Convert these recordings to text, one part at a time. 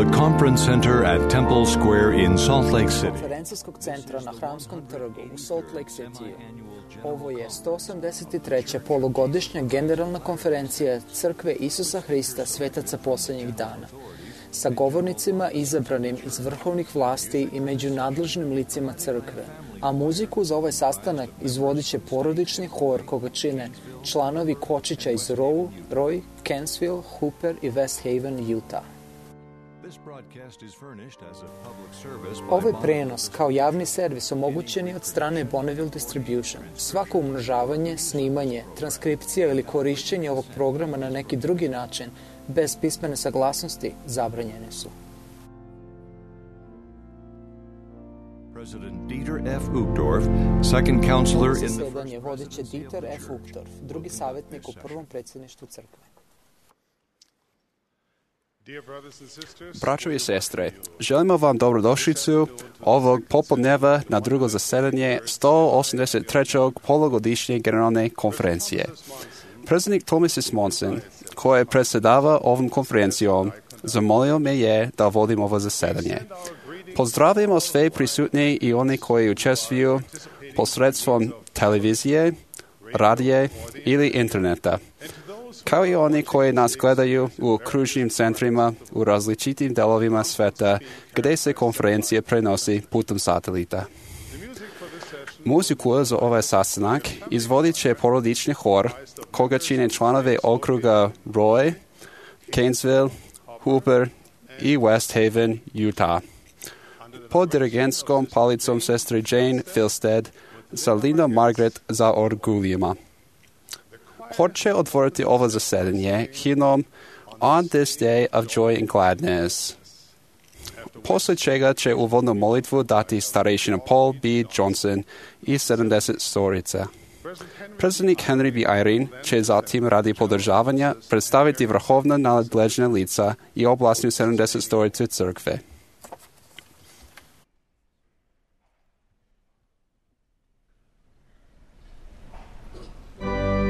the Conference Center at Temple Square in Salt Lake City. Konferencijskog centra na Hramskom trgu u Salt Lake City. Ovo je 183. polugodišnja generalna konferencija Crkve Isusa Hrista svetaca poslednjih dana, sa govornicima izabranim iz vrhovnih vlasti i među nadležnim licima crkve, a muziku za ovaj sastanak izvodit će porodični hor koga čine članovi Kočića iz Roy, Kensville, Hooper i West Haven, Utah. Ovaj prenos kao javni servis omogućen je od strane Bonneville Distribution. Svako umnožavanje, snimanje, transkripcija ili korišćenje ovog programa na neki drugi način bez pismene saglasnosti zabranjene su. President Dieter F. Uchtdorf, second counselor in the Zasedanje vodit će Dieter F. Uchtdorf, drugi savjetnik u prvom predsjedništvu crkve. Braćo i sestre, želimo vam dobrodošlicu ovog popodneva na drugo zasedanje 183. polugodišnje generalne konferencije. Predsjednik Thomas S. Monson, koji predsjedava ovom konferencijom, zamolio me je da vodim ovo zasedanje. Pozdravljamo sve prisutne i oni koji učestvuju posredstvom televizije, radije ili interneta, kao i oni koji nas gledaju u kružnim centrima u različitim delovima sveta gdje se konferencija prenosi putem satelita. Muziku za ovaj sastanak izvodit će porodični hor koga čine članove okruga Roy, Kensville, Hooper i West Haven, Utah. Pod dirigentskom palicom sestre Jane Filstead sa Linda Margaret za orguljima. Hor će otvoriti ovo zasedanje himnom On This Day of Joy and Gladness. Poslije čega će uvodnu molitvu dati starešina Paul B. Johnson i 70 storica. Predsjednik Henry B. Eyring će zatim radi podržavanja predstaviti vrhovna nadležna lica i oblastnu 70 storicu crkve. We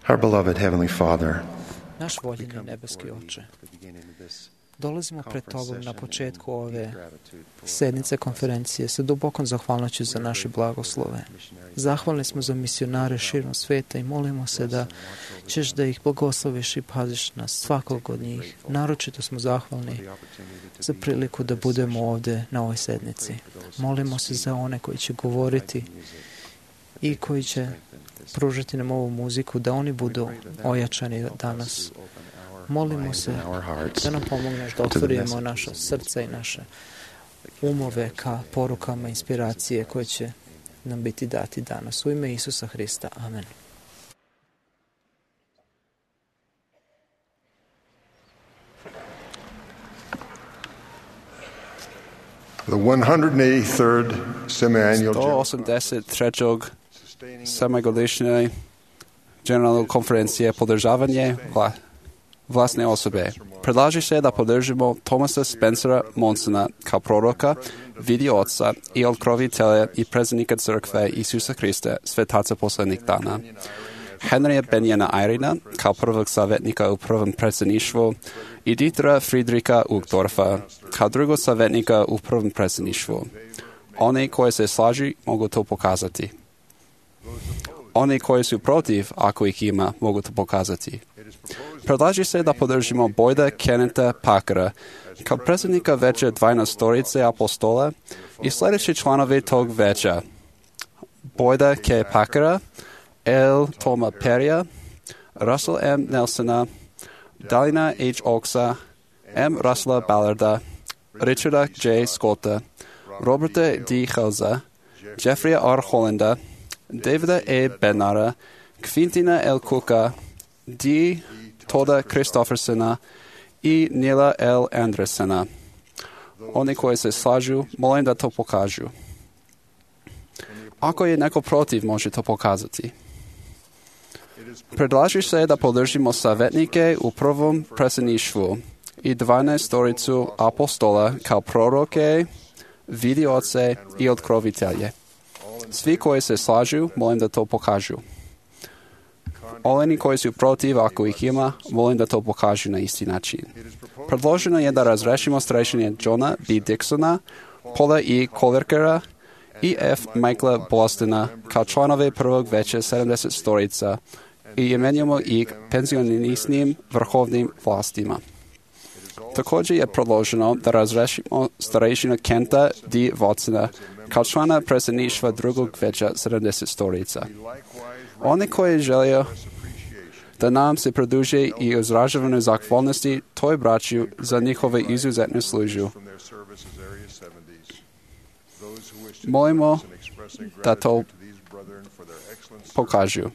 Our beloved Heavenly Father, Naš voljeni nebeski Oče, dolazimo pred Tobom na početku ove sednice konferencije sa dubokom zahvalnošću za naše blagoslove. Zahvalni smo za misionare širom sveta i molimo se da ćeš da ih blagosloviš i paziš nas svakog od njih. Naročito smo zahvalni za priliku da budemo ovde na ovoj sednici. Molimo se za one koji će govoriti i koji će pružiti nam ovu muziku, da oni budu ojačani danas. Molimo se da nam pomogneš da otvorimo naša srca i naše umove ka porukama inspiracije koje će nam biti dati danas. U ime Isusa Hrista. Amen. The 183rd semi-annual 183. semigodišnje generalne konferencije podržavanje vlasne osobe. Predlaže se da podržimo Thomasa Spencera Monsona kao proroka, vidi oca i otkrovitelja i predsjednika crkve Isusa Hrista, svetaca poslednjih dana. Henrya Benjana Eirina kao prvog savjetnika u prvom predsjedništvu i Dietera Friedricha Uchtdorfa kao drugog savjetnika u prvom predsjedništvu. Oni koji se slažu mogu to pokazati. Oni koji su protiv, ako ih ima, mogu to pokazati. Predlaže se da podržimo Boyda Kenneta Packera kao predsjednika veća 12 apostola i sljedeći članovi tog veća: Boyda K. Packera, L. Toma Perrya, Russell M. Nelsona, Dalina H. Oaksa, M. Russella Ballarda, Richarda J. Scotta, Roberta D. Helza, Jeffrey R. Hollanda, Davida E. Bednara, Quintina L. Cooka, D. Toda Christoffersona i Nila L. Andersona. Oni koji se slažu, molim da to pokažu. Ako je neko protiv, može to pokazati. Predlaže se da podržimo savjetnike u prvom predsjedništvu i 12 apostola kao proroke, vidioce i otkrovitelje. Svi koji se slažu, molim da to pokažu. Oni koji su protiv, ako ih ima, molim da to pokažu na isti način. Predloženo je da razrešimo starešine Johna B. Dixona, Paula E. Colverkera i F. Michaela Bostona kao članove prvog veća 70 storica i imenujemo ih penzionisnim vrhovnim vlastima. Također je predloženo da razrešimo starešina Kenta D. Watsona kao člana predsjedništva drugog veća 70 storica. Oni koji žele da nam se produže i izražavane zahvalnosti toj braću za njihove izuzetne službu. Molimo da to pokažu.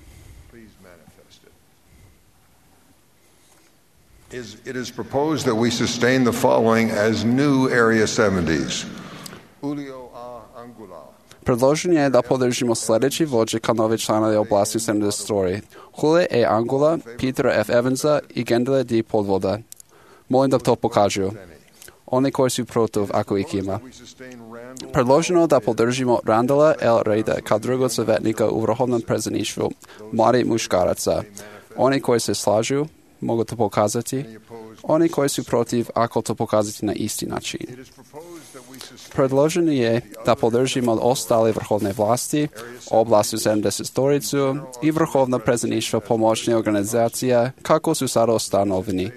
It is proposed that we sustain the following as new Area 70s. Julio A. Angula, Predloženo je da podržimo sljedeći vođe kao nove članove oblasti 70 story. Julio E. Angula, Peter F. Evansa i Gendele D. Podvoda. Molim da to pokažu. Oni koji su protiv, ako ih ima. Predloženo da podržimo Randala L. Reida kao drugog savjetnika u vrhovnom predsjedništvu mladih muškaraca. Oni koji se slažu, mogu to pokazati. Oni koji su protiv, ako to pokazati na isti način. Predloženo je da podržimo ostale vrhovne vlasti, oblasti 70 storicu i vrhovna predsjedništva pomoćne organizacija kako su sada ustanovljeni.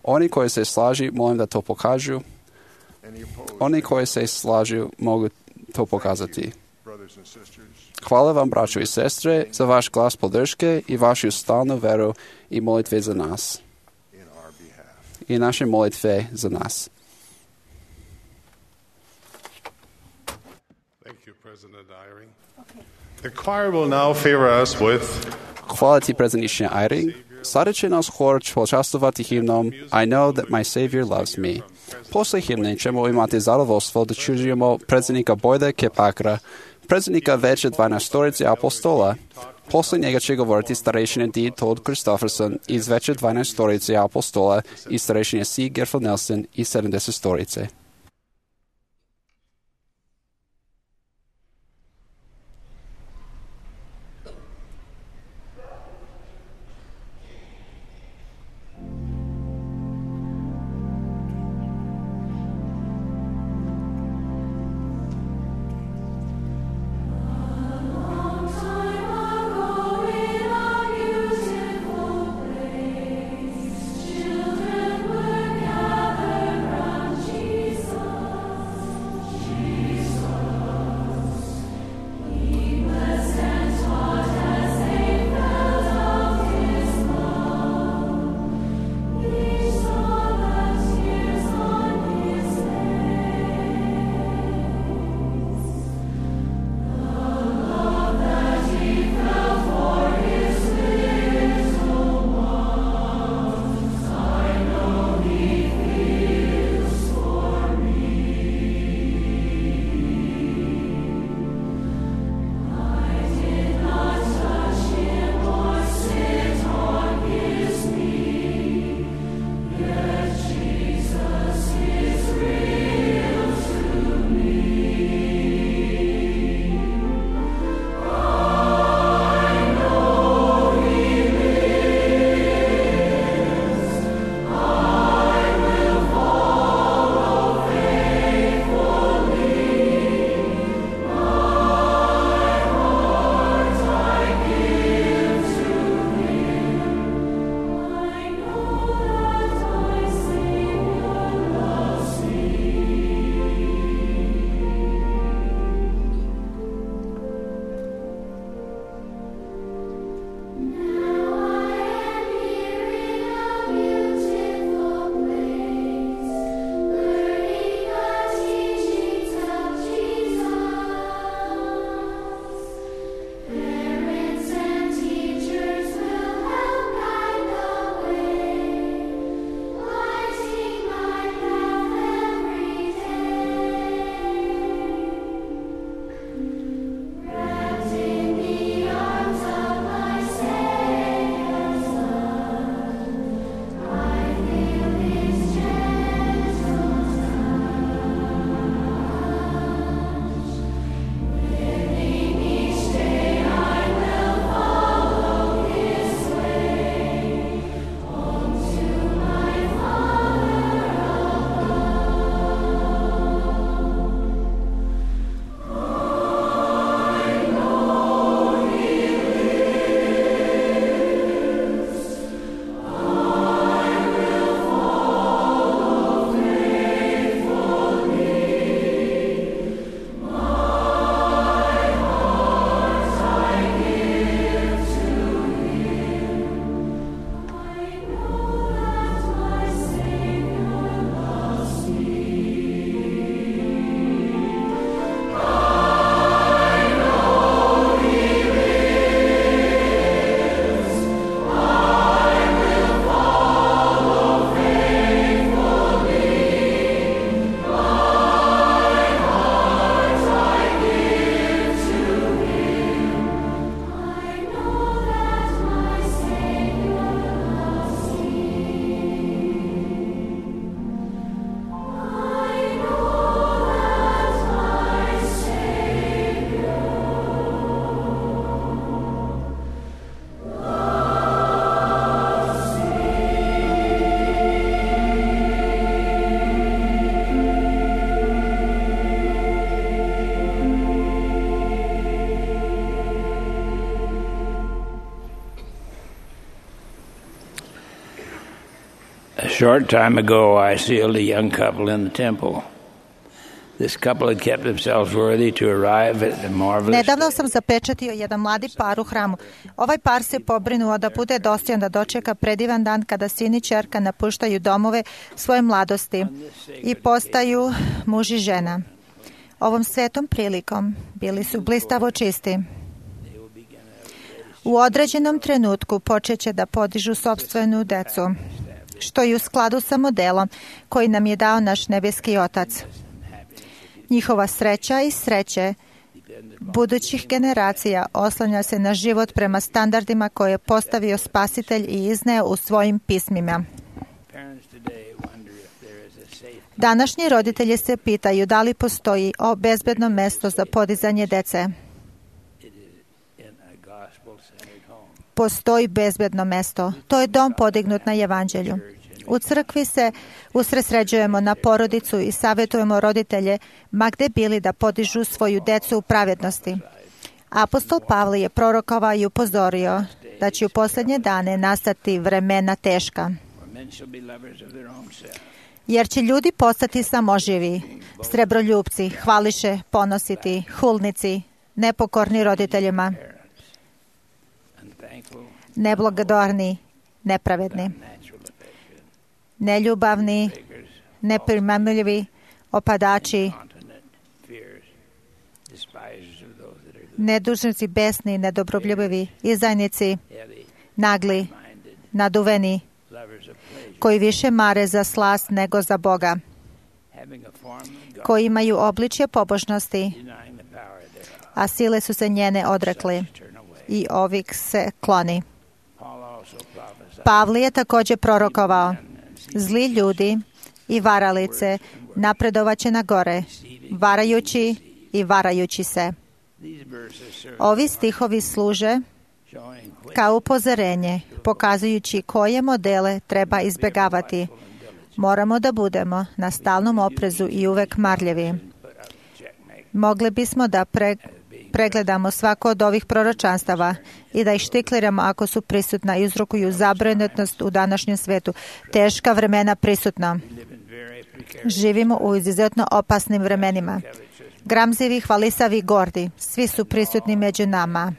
Oni koji se slažu, molim da to pokažu. Oni koji se slažu, mogu to pokazati. Hvala vam, braćo i sestre, za vaš glas podrške i vašu stalnu veru i molitve za nas. I naše molitve za nas. the choir will now favor us with Hvala ti, predsjedniče Eyring. Sada će nas hor počastovati himnom I know that my Savior loves me. Posle himne ćemo imati zadovoljstvo da čujemo predsjednika Boyda K. Packera, predsjednika veće 12 storice apostola. Posle njega će govoriti starešine D. Todd Christofferson iz veće 12 storice apostola i starešine C. Gerfel Nelson iz 70 storice. A short time ago, I sealed a young couple in the temple. This couple had kept themselves worthy to arrive at the marvelous Nedavno sam zapečatio jedan mladi par u hramu. Ovaj par se pobrinuo da bude dostojan da dočeka predivan dan kada sin i ćerka napuštaju domove svoje mladosti i postaju muž i žena. Ovom svetom prilikom bili su blistavo čisti. U određenom trenutku počeće da podižu sopstvenu decu, što je u skladu sa modelom koji nam je dao naš nebeski Otac. Njihova sreća i sreće budućih generacija oslanja se na život prema standardima koje je postavio Spasitelj i izneo u svojim pismima. Današnji roditelji se pitaju da li postoji bezbedno mesto za podizanje dece. Postoji bezbedno mesto. To je dom podignut na evanđelju. U crkvi se usredsređujemo na porodicu i savjetujemo roditelje ma gde bili da podižu svoju decu u pravednosti. Apostol Pavle je prorokovao i upozorio da će u posljednje dane nastati vremena teška. Jer će ljudi postati samoživi, srebroljupci, hvališe, ponositi, hulnici, nepokorni roditeljima, neblagodorni, nepravedni, neljubavni, neprimamljivi, opadači, nedužnici, besni, nedobrobljubivi, izdajnici, nagli, naduveni, koji više mare za slast nego za Boga, koji imaju obličje pobožnosti, a sile su se njene odrekli i ovih se kloni. Pavle je također prorokovao: zli ljudi i varalice napredovaće na gore, varajući i varajući se. Ovi stihovi služe kao upozorenje, pokazujući koje modele treba izbjegavati. Moramo da budemo na stalnom oprezu i uvek marljivi. Mogli bismo da pregledamo svako od ovih proročanstava i da ih štikliramo ako su prisutna i uzrokuju zabrinutnost u današnjem svetu. Teška vremena prisutna. Živimo u izuzetno opasnim vremenima. Gramzivi, hvalisavi, gordi, svi su prisutni među nama.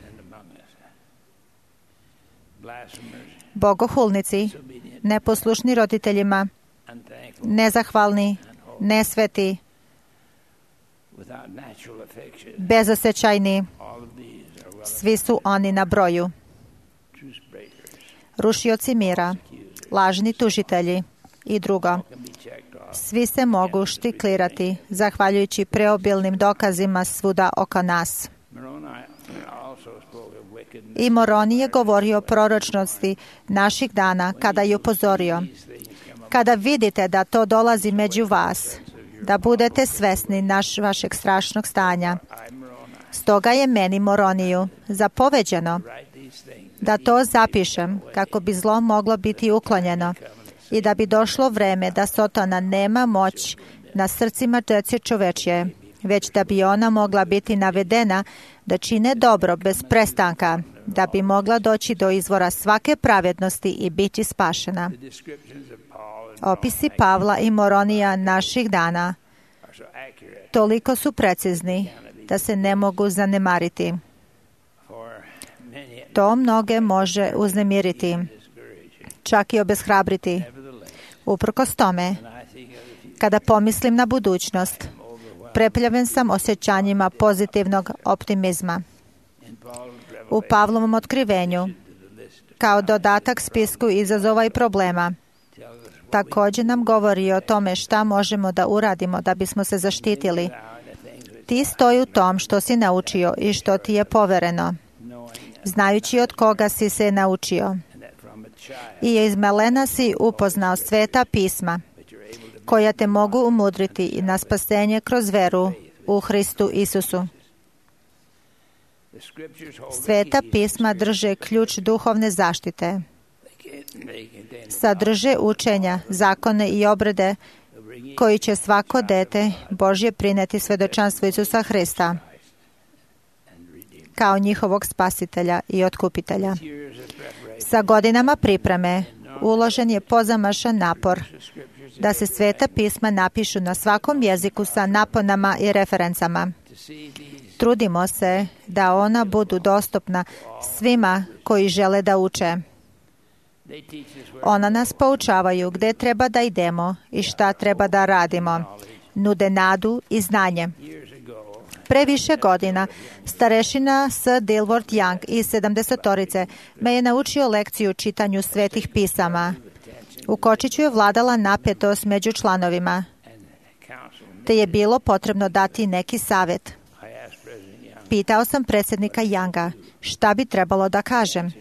Bogohulnici, neposlušni roditeljima, nezahvalni, nesveti, bezosećajni, svi su oni na broju. Rušioci mira, lažni tužitelji i drugo. Svi se mogu štiklirati zahvaljujući preobilnim dokazima svuda oko nas. I Moroni je govorio o proročnosti naših dana kada je upozorio: kada vidite da to dolazi među vas, da budete svesni vašeg strašnog stanja. Stoga je meni, Moroniju, zapoveđeno da to zapišem kako bi zlo moglo biti uklonjeno i da bi došlo vreme da Sotona nema moć na srcima dece čovečje, već da bi ona mogla biti navedena da čine dobro bez prestanka, da bi mogla doći do izvora svake pravednosti i biti spašena. Opisi Pavla i Moronija naših dana toliko su precizni da se ne mogu zanemariti. To mnoge može uznemiriti, čak i obeshrabriti. Uprkos tome, kada pomislim na budućnost, prepljaven sam osjećanjima pozitivnog optimizma. U Pavlovom otkrivenju, kao dodatak spisku izazova i problema, također nam govori o tome šta možemo da uradimo da bismo se zaštitili. Ti stoji u tom što si naučio i što ti je povereno, znajući od koga si se naučio. I iz malena si upoznao sveta pisma, koja te mogu umudriti na spasenje kroz veru u Hristu Isusu. Sveta pisma drže ključ duhovne zaštite. Sadrže učenja, zakone i obrede koji će svako dete Božje prineti svedočanstvo Isusa Hrista kao njihovog spasitelja i otkupitelja. Sa godinama pripreme uložen je pozamašan napor da se sveta pisma napišu na svakom jeziku sa naponama i referencama. Trudimo se da ona budu dostupna svima koji žele da uče. Ona nas poučavaju gde treba da idemo i šta treba da radimo. Nude nadu i znanje. Pre više godina, starešina S. Dilworth Young iz 70-torice me je naučio lekciju o čitanju svetih pisama. U kočiću je vladala napetost među članovima, te je bilo potrebno dati neki savjet. Pitao sam predsjednika Younga šta bi trebalo da kažem.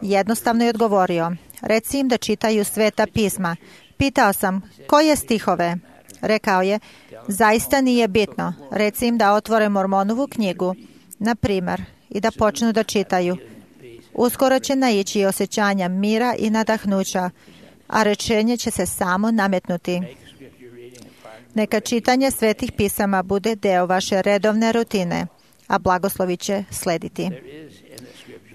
Jednostavno je odgovorio, reci im da čitaju sveta pisma. Pitao sam, koje stihove? Rekao je, zaista nije bitno. Reci im da otvore Mormonovu knjigu, na primer, i da počnu da čitaju. Uskoro će naići osjećanja mira i nadahnuća, a rečenje će se samo nametnuti. Neka čitanje svetih pisama bude deo vaše redovne rutine, a blagoslovi će slediti.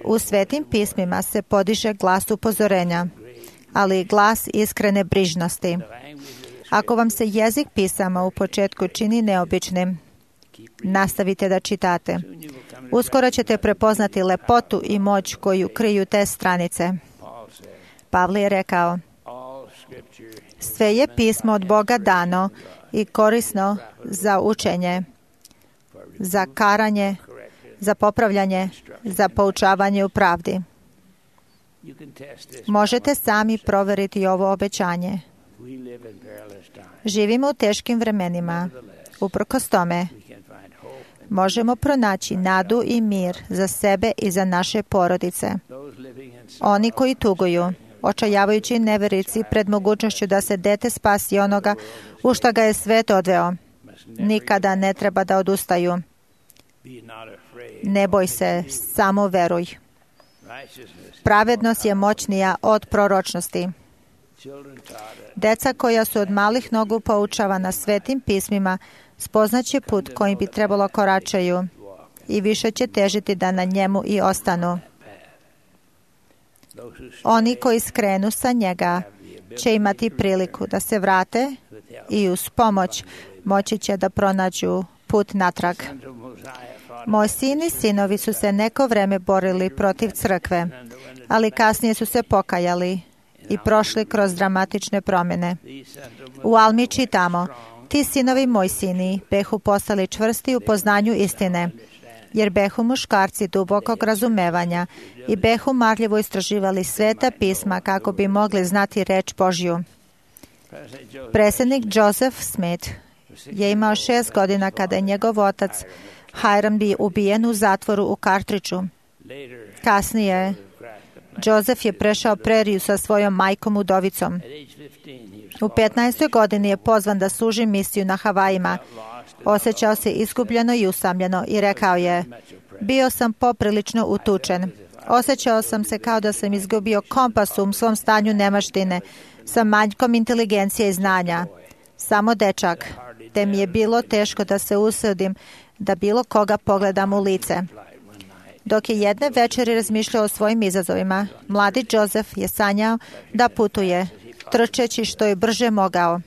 U svetim pismima se podiže glas upozorenja, ali i glas iskrene brižnosti. Ako vam se jezik pisama u početku čini neobičnim, nastavite da čitate. Uskoro ćete prepoznati lepotu i moć koju kriju te stranice. Pavle je rekao, sve je pismo od Boga dano i korisno za učenje, za karanje, za popravljanje, za poučavanje u pravdi. Možete sami proveriti ovo obećanje. Živimo u teškim vremenima. Uprkos tome, možemo pronaći nadu i mir za sebe i za naše porodice. Oni koji tuguju, očajavajući neverici pred mogućnošću da se dete spasi onoga u šta ga je svet odveo, nikada ne treba da odustaju. Ne boj se, samo veruj. Pravednost je moćnija od proročnosti. Deca koja su od malih nogu poučavana svetim pismima spoznaće put kojim bi trebalo koračaju i više će težiti da na njemu i ostanu. Oni koji skrenu sa njega će imati priliku da se vrate i uz pomoć moći će da pronađu put natrag. Moj sin i sinovi su se neko vreme borili protiv crkve, ali kasnije su se pokajali i prošli kroz dramatične promjene. U Almi čitamo, ti sinovi moj sini behu postali čvrsti u poznanju istine, jer behu muškarci dubokog razumevanja i behu marljivo istraživali sveta pisma kako bi mogli znati reč Božju. Predsjednik Joseph Smith je imao 6 godina kada je njegov otac Hiram bio ubijen u zatvoru u Cartridgeu. Kasnije, Joseph je prešao preriju sa svojom majkom udovicom. U 15. godini je pozvan da služi misiju na Havajima. Osjećao se izgubljeno i usamljeno i rekao je, bio sam poprilično utučen. Osjećao sam se kao da sam izgubio kompas u svom stanju nemaštine, sa manjkom inteligencije i znanja. Samo dečak, te mi je bilo teško da se usudim da bilo koga pogledam u lice. Dok je jedne večeri razmišljao o svojim izazovima, mladi Joseph je sanjao da putuje, trčeći što je brže mogao.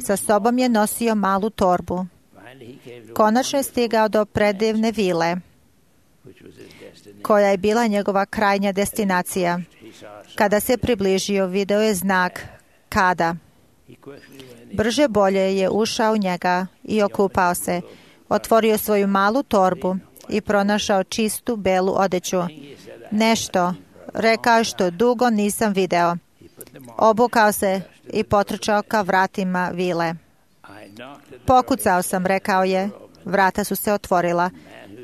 Sa sobom je nosio malu torbu. Konačno je stigao do predivne vile, koja je bila njegova krajnja destinacija. Kada se približio, video je znak kada. Brže bolje je ušao u njega i okupao se. Otvorio svoju malu torbu i pronašao čistu belu odeću. Nešto, rekao što dugo nisam video. Obukao se i potrčao ka vratima vile. Pokucao sam, rekao je. Vrata su se otvorila,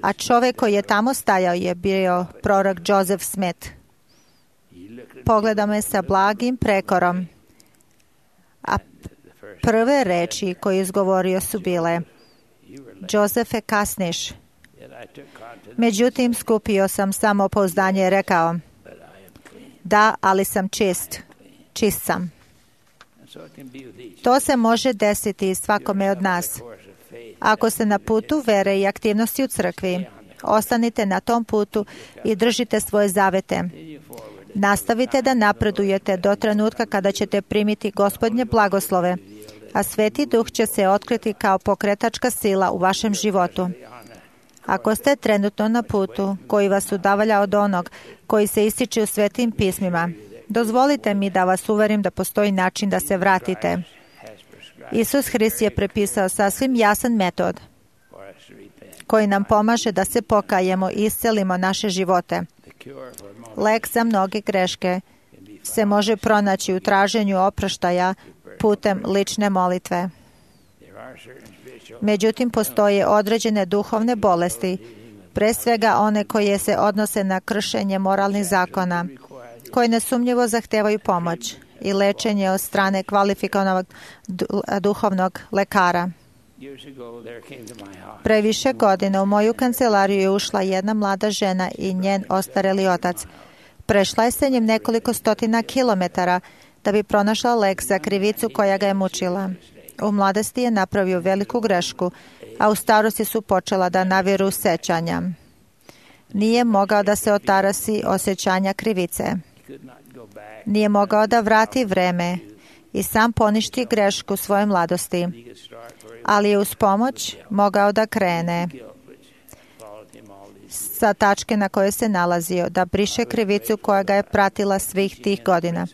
a čovjek koji je tamo stajao je bio prorok Joseph Smith. Pogledao me sa blagim prekorom, a prve reči koje je izgovorio su bile, Josefe, kasniš. Međutim, skupio sam samopouzdanje i rekao, da, ali sam čist. Čist sam. To se može desiti svakome od nas. Ako ste na putu vere i aktivnosti u crkvi, ostanite na tom putu i držite svoje zavete. Nastavite da napredujete do trenutka kada ćete primiti Gospodnje blagoslove, a Sveti Duh će se otkriti kao pokretačka sila u vašem životu. Ako ste trenutno na putu koji vas udalja od onog koji se ističe u Svetim pismima, dozvolite mi da vas uverim da postoji način da se vratite. Isus Hrist je prepisao sasvim jasan metod koji nam pomaže da se pokajemo i iscelimo naše živote. Lek za mnoge greške se može pronaći u traženju oproštaja putem lične molitve. Međutim, postoje određene duhovne bolesti, pre svega one koje se odnose na kršenje moralnih zakona, koje nesumnjivo zahtevaju pomoć i lečenje od strane kvalifikovanog duhovnog lekara. Pre više godina u moju kancelariju je ušla jedna mlada žena i njen ostareli otac. Prešla je sa njim nekoliko stotina kilometara da bi pronašla lek za krivicu koja ga je mučila. U mladosti je napravio veliku grešku, a u starosti su počela da naviru sećanja. Nije mogao da se otarasi osjećanja krivice. Nije mogao da vrati vreme i sam poništi grešku svoje mladosti, ali je uz pomoć mogao da krene sa tačke na kojoj se nalazio, da briše krivicu koja ga je pratila svih tih godina.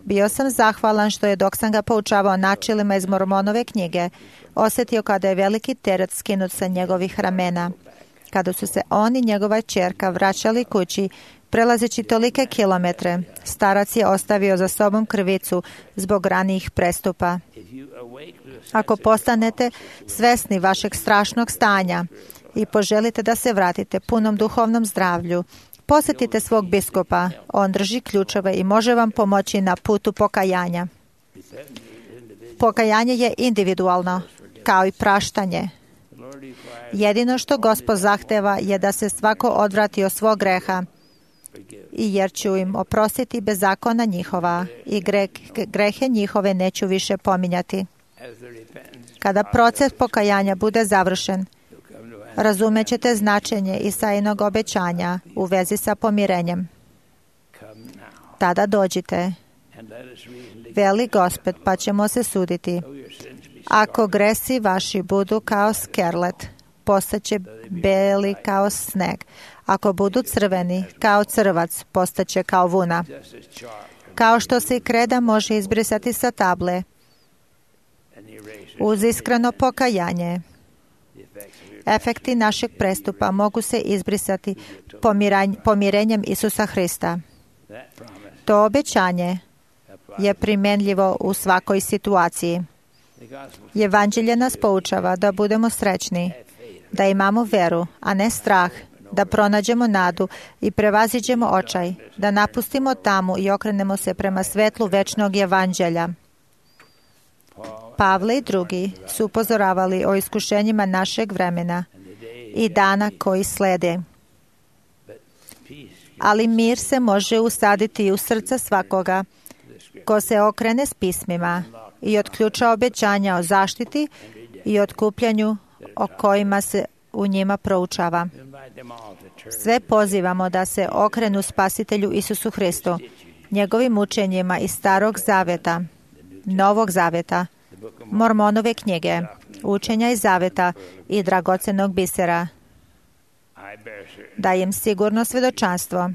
Bio sam zahvalan što je, dok sam ga poučavao načelima iz Mormonove knjige, osjetio kada je veliki teret skinut sa njegovih ramena. Kada su se on i njegova ćerka vraćali kući, prelazeći tolike kilometre, starac je ostavio za sobom krivicu zbog ranijih prestupa. Ako postanete svesni vašeg strašnog stanja i poželite da se vratite punom duhovnom zdravlju, posjetite svog biskupa. On drži ključeve i može vam pomoći na putu pokajanja. Pokajanje je individualno, kao i praštanje. Jedino što Gospod zahteva je da se svako odvrati od svog greha, i jer ću im oprostiti bezakona njihova i grehe njihove neću više pominjati. Kada proces pokajanja bude završen, razumećete značenje Isaijinog obećanja u vezi sa pomirenjem. Tada dođite, veli Gospod, pa ćemo se suditi. Ako gresi vaši budu kao skerlet, postaće beli kao sneg. Ako budu crveni kao crvac, postaće kao vuna. Kao što se i kreda može izbrisati sa table, uz iskreno pokajanje, efekti našeg prestupa mogu se izbrisati pomirenjem Isusa Hrista. To obećanje je primenljivo u svakoj situaciji. Evanđelje nas poučava da budemo srećni, da imamo veru, a ne strah, da pronađemo nadu i prevaziđemo očaj, da napustimo tamu i okrenemo se prema svetlu večnog evanđelja. Pavle i drugi su upozoravali o iskušenjima našeg vremena i dana koji slede. Ali mir se može usaditi u srca svakoga ko se okrene s pismima i od ključa obećanja o zaštiti i otkupljanju o kojima se u njima proučava. Sve pozivamo da se okrenu Spasitelju Isusu Hristu, njegovim učenjima iz Starog Zaveta, Novog Zaveta, Mormonove knjige, učenja iz Zaveta i dragocenog bisera. Dajem sigurno svjedočanstvo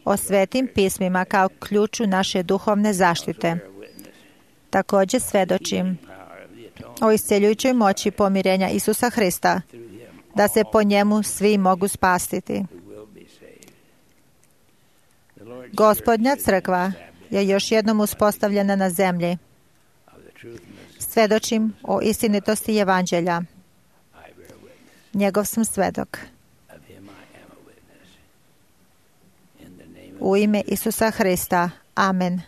o svetim pismima kao ključu naše duhovne zaštite. Također svjedočim o isceljujućoj moći pomirenja Isusa Hrista, da se po njemu svi mogu spasiti. Gospodnja crkva je još jednom uspostavljena na zemlji. Svjedočim o istinitosti evanđelja. Njegov sam svedok. U ime Isusa Hrista. Amen.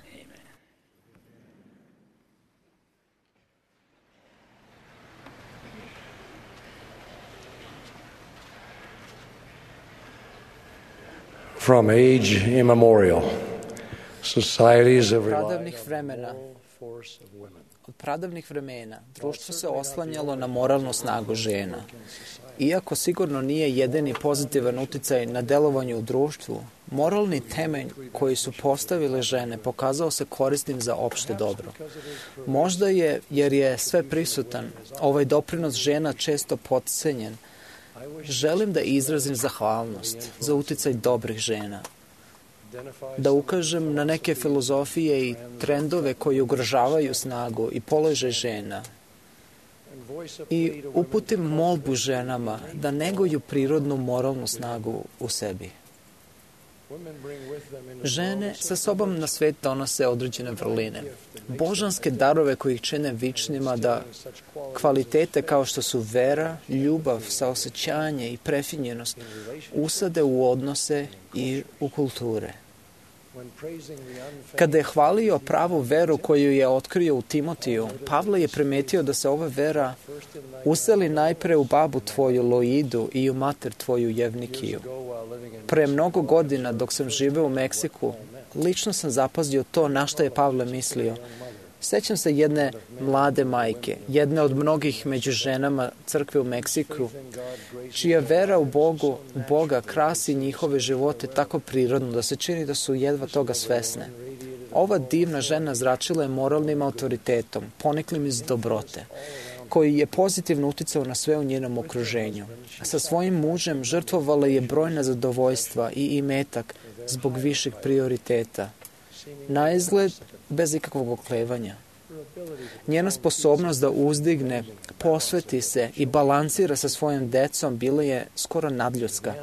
From age immemorial, societies of pradavnih vremena Od pradavnih vremena društvo se oslanjalo na moralnu snagu žena. Iako sigurno nije jedini pozitivan uticaj na delovanje u društvu, moralni temelj koji su postavile žene pokazao se korisnim za opšte dobro. Možda je, jer je sve prisutan, ovaj doprinos žena često potcenjen. Želim da izrazim zahvalnost za uticaj dobrih žena, da ukažem na neke filozofije i trendove koji ugrožavaju snagu i položaj žena i uputim molbu ženama da neguju prirodnu moralnu snagu u sebi. Žene sa sobom na svet donose određene vrline, božanske darove koji ih čine vičnima, da kvalitete kao što su vera, ljubav, saosećanje i prefinjenost usade u odnose i u kulture. Kada je hvalio pravu veru koju je otkrio u Timotiju, Pavle je primetio da se ova vera useli najpre u babu tvoju Loidu i u mater tvoju Jevnikiju. Pre mnogo godina, dok sam živeo u Meksiku, lično sam zapazio to na šta je Pavle mislio. Sećam se jedne mlade majke, jedne od mnogih među ženama crkve u Meksiku, čija vera u Boga krasi njihove živote tako prirodno da se čini da su jedva toga svesne. Ova divna žena zračila je moralnim autoritetom, poniklim iz dobrote, koji je pozitivno uticao na sve u njenom okruženju. Sa svojim mužem žrtvovala je brojna zadovoljstva i imetak zbog viših prioriteta. Na izgled, bez ikakvog oklevanja. Njena sposobnost da uzdigne, posveti se i balansira sa svojim decom bila je skoro nadljudska.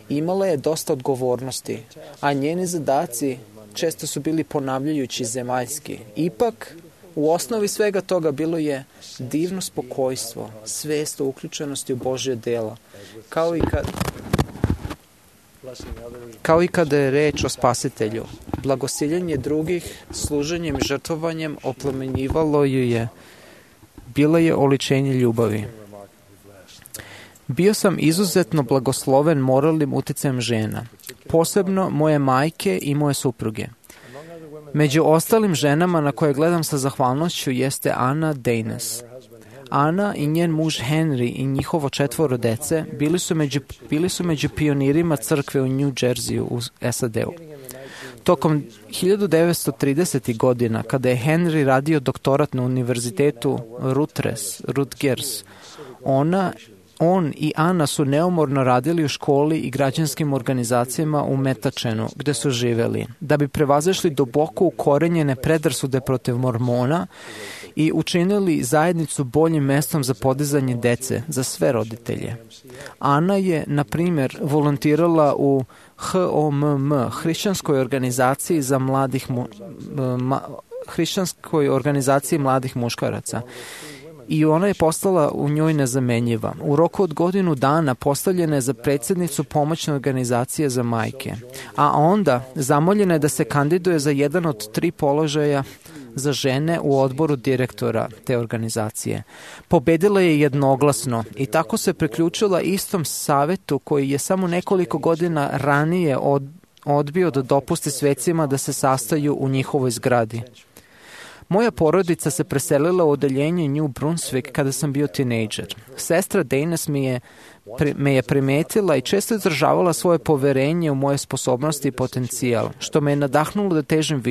Imala je dosta odgovornosti, a njeni zadaci često su bili ponavljajući zemaljski. Ipak, u osnovi svega toga bilo je divno spokojstvo, svest o uključenosti u Božje dela, kao i kada je reč o spasitelju. Blagosiljenje drugih, služenjem i žrtvovanjem oplemenjivalo ju je. Bila je oličenje ljubavi. Bio sam izuzetno blagosloven moralnim uticajem žena, posebno moje majke i moje supruge. Među ostalim ženama na koje gledam sa zahvalnošću jeste Ana Daynes. Ana i njen muž Henry i njihovo 4 dece bili su među pionirima crkve u New Jerseyu u SAD-u. Tokom 1930. godina, kada je Henry radio doktorat na univerzitetu Rutgers, on i Ana su neumorno radili u školi i građanskim organizacijama u Metačenu, gde su živeli, da bi prevazišli duboko ukorenjene predrasude protiv mormona i učinili zajednicu boljim mestom za podizanje dece, za sve roditelje. Ana je, na primjer, volontirala u HOMM, Hrišćanskoj organizaciji mladih muškaraca. I ona je postala u njoj nezamenjiva. U roku od godinu dana postavljena je za predsjednicu pomoćne organizacije za majke. A onda zamoljena je da se kandiduje za jedan od 3 položaja za žene u odboru direktora te organizacije. Pobedila je jednoglasno i tako se priključila istom savetu koji je samo nekoliko godina ranije odbio da dopusti svecima da se sastaju u njihovoj zgradi. Moja porodica se preselila u odeljenje New Brunswick kada sam bio tinejdžer. Sestra Daynes me je primetila i često izražavala svoje poverenje u moje sposobnosti i potencijal, što me je nadahnulo da težim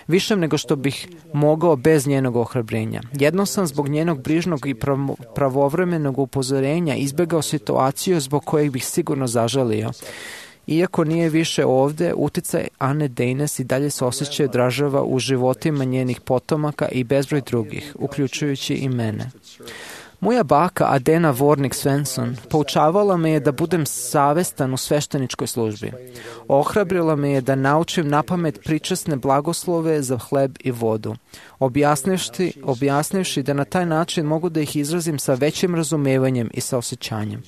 višem nego što bih mogao bez njenog ohrabrenja. Jednom sam zbog njenog brižnog i pravovremenog upozorenja izbegao situaciju zbog kojeg bih sigurno zažalio. Iako nije više ovde, uticaj Ane Daynes i dalje se osjeća i odražava u životima njenih potomaka i bezbroj drugih, uključujući i mene. Moja baka Adena Vornik Svensson poučavala me je da budem savestan u svešteničkoj službi. Ohrabrila me je da naučim napamet pričasne blagoslove za hleb i vodu, objasnivši da na taj način mogu da ih izrazim sa većim razumevanjem i saosećanjem.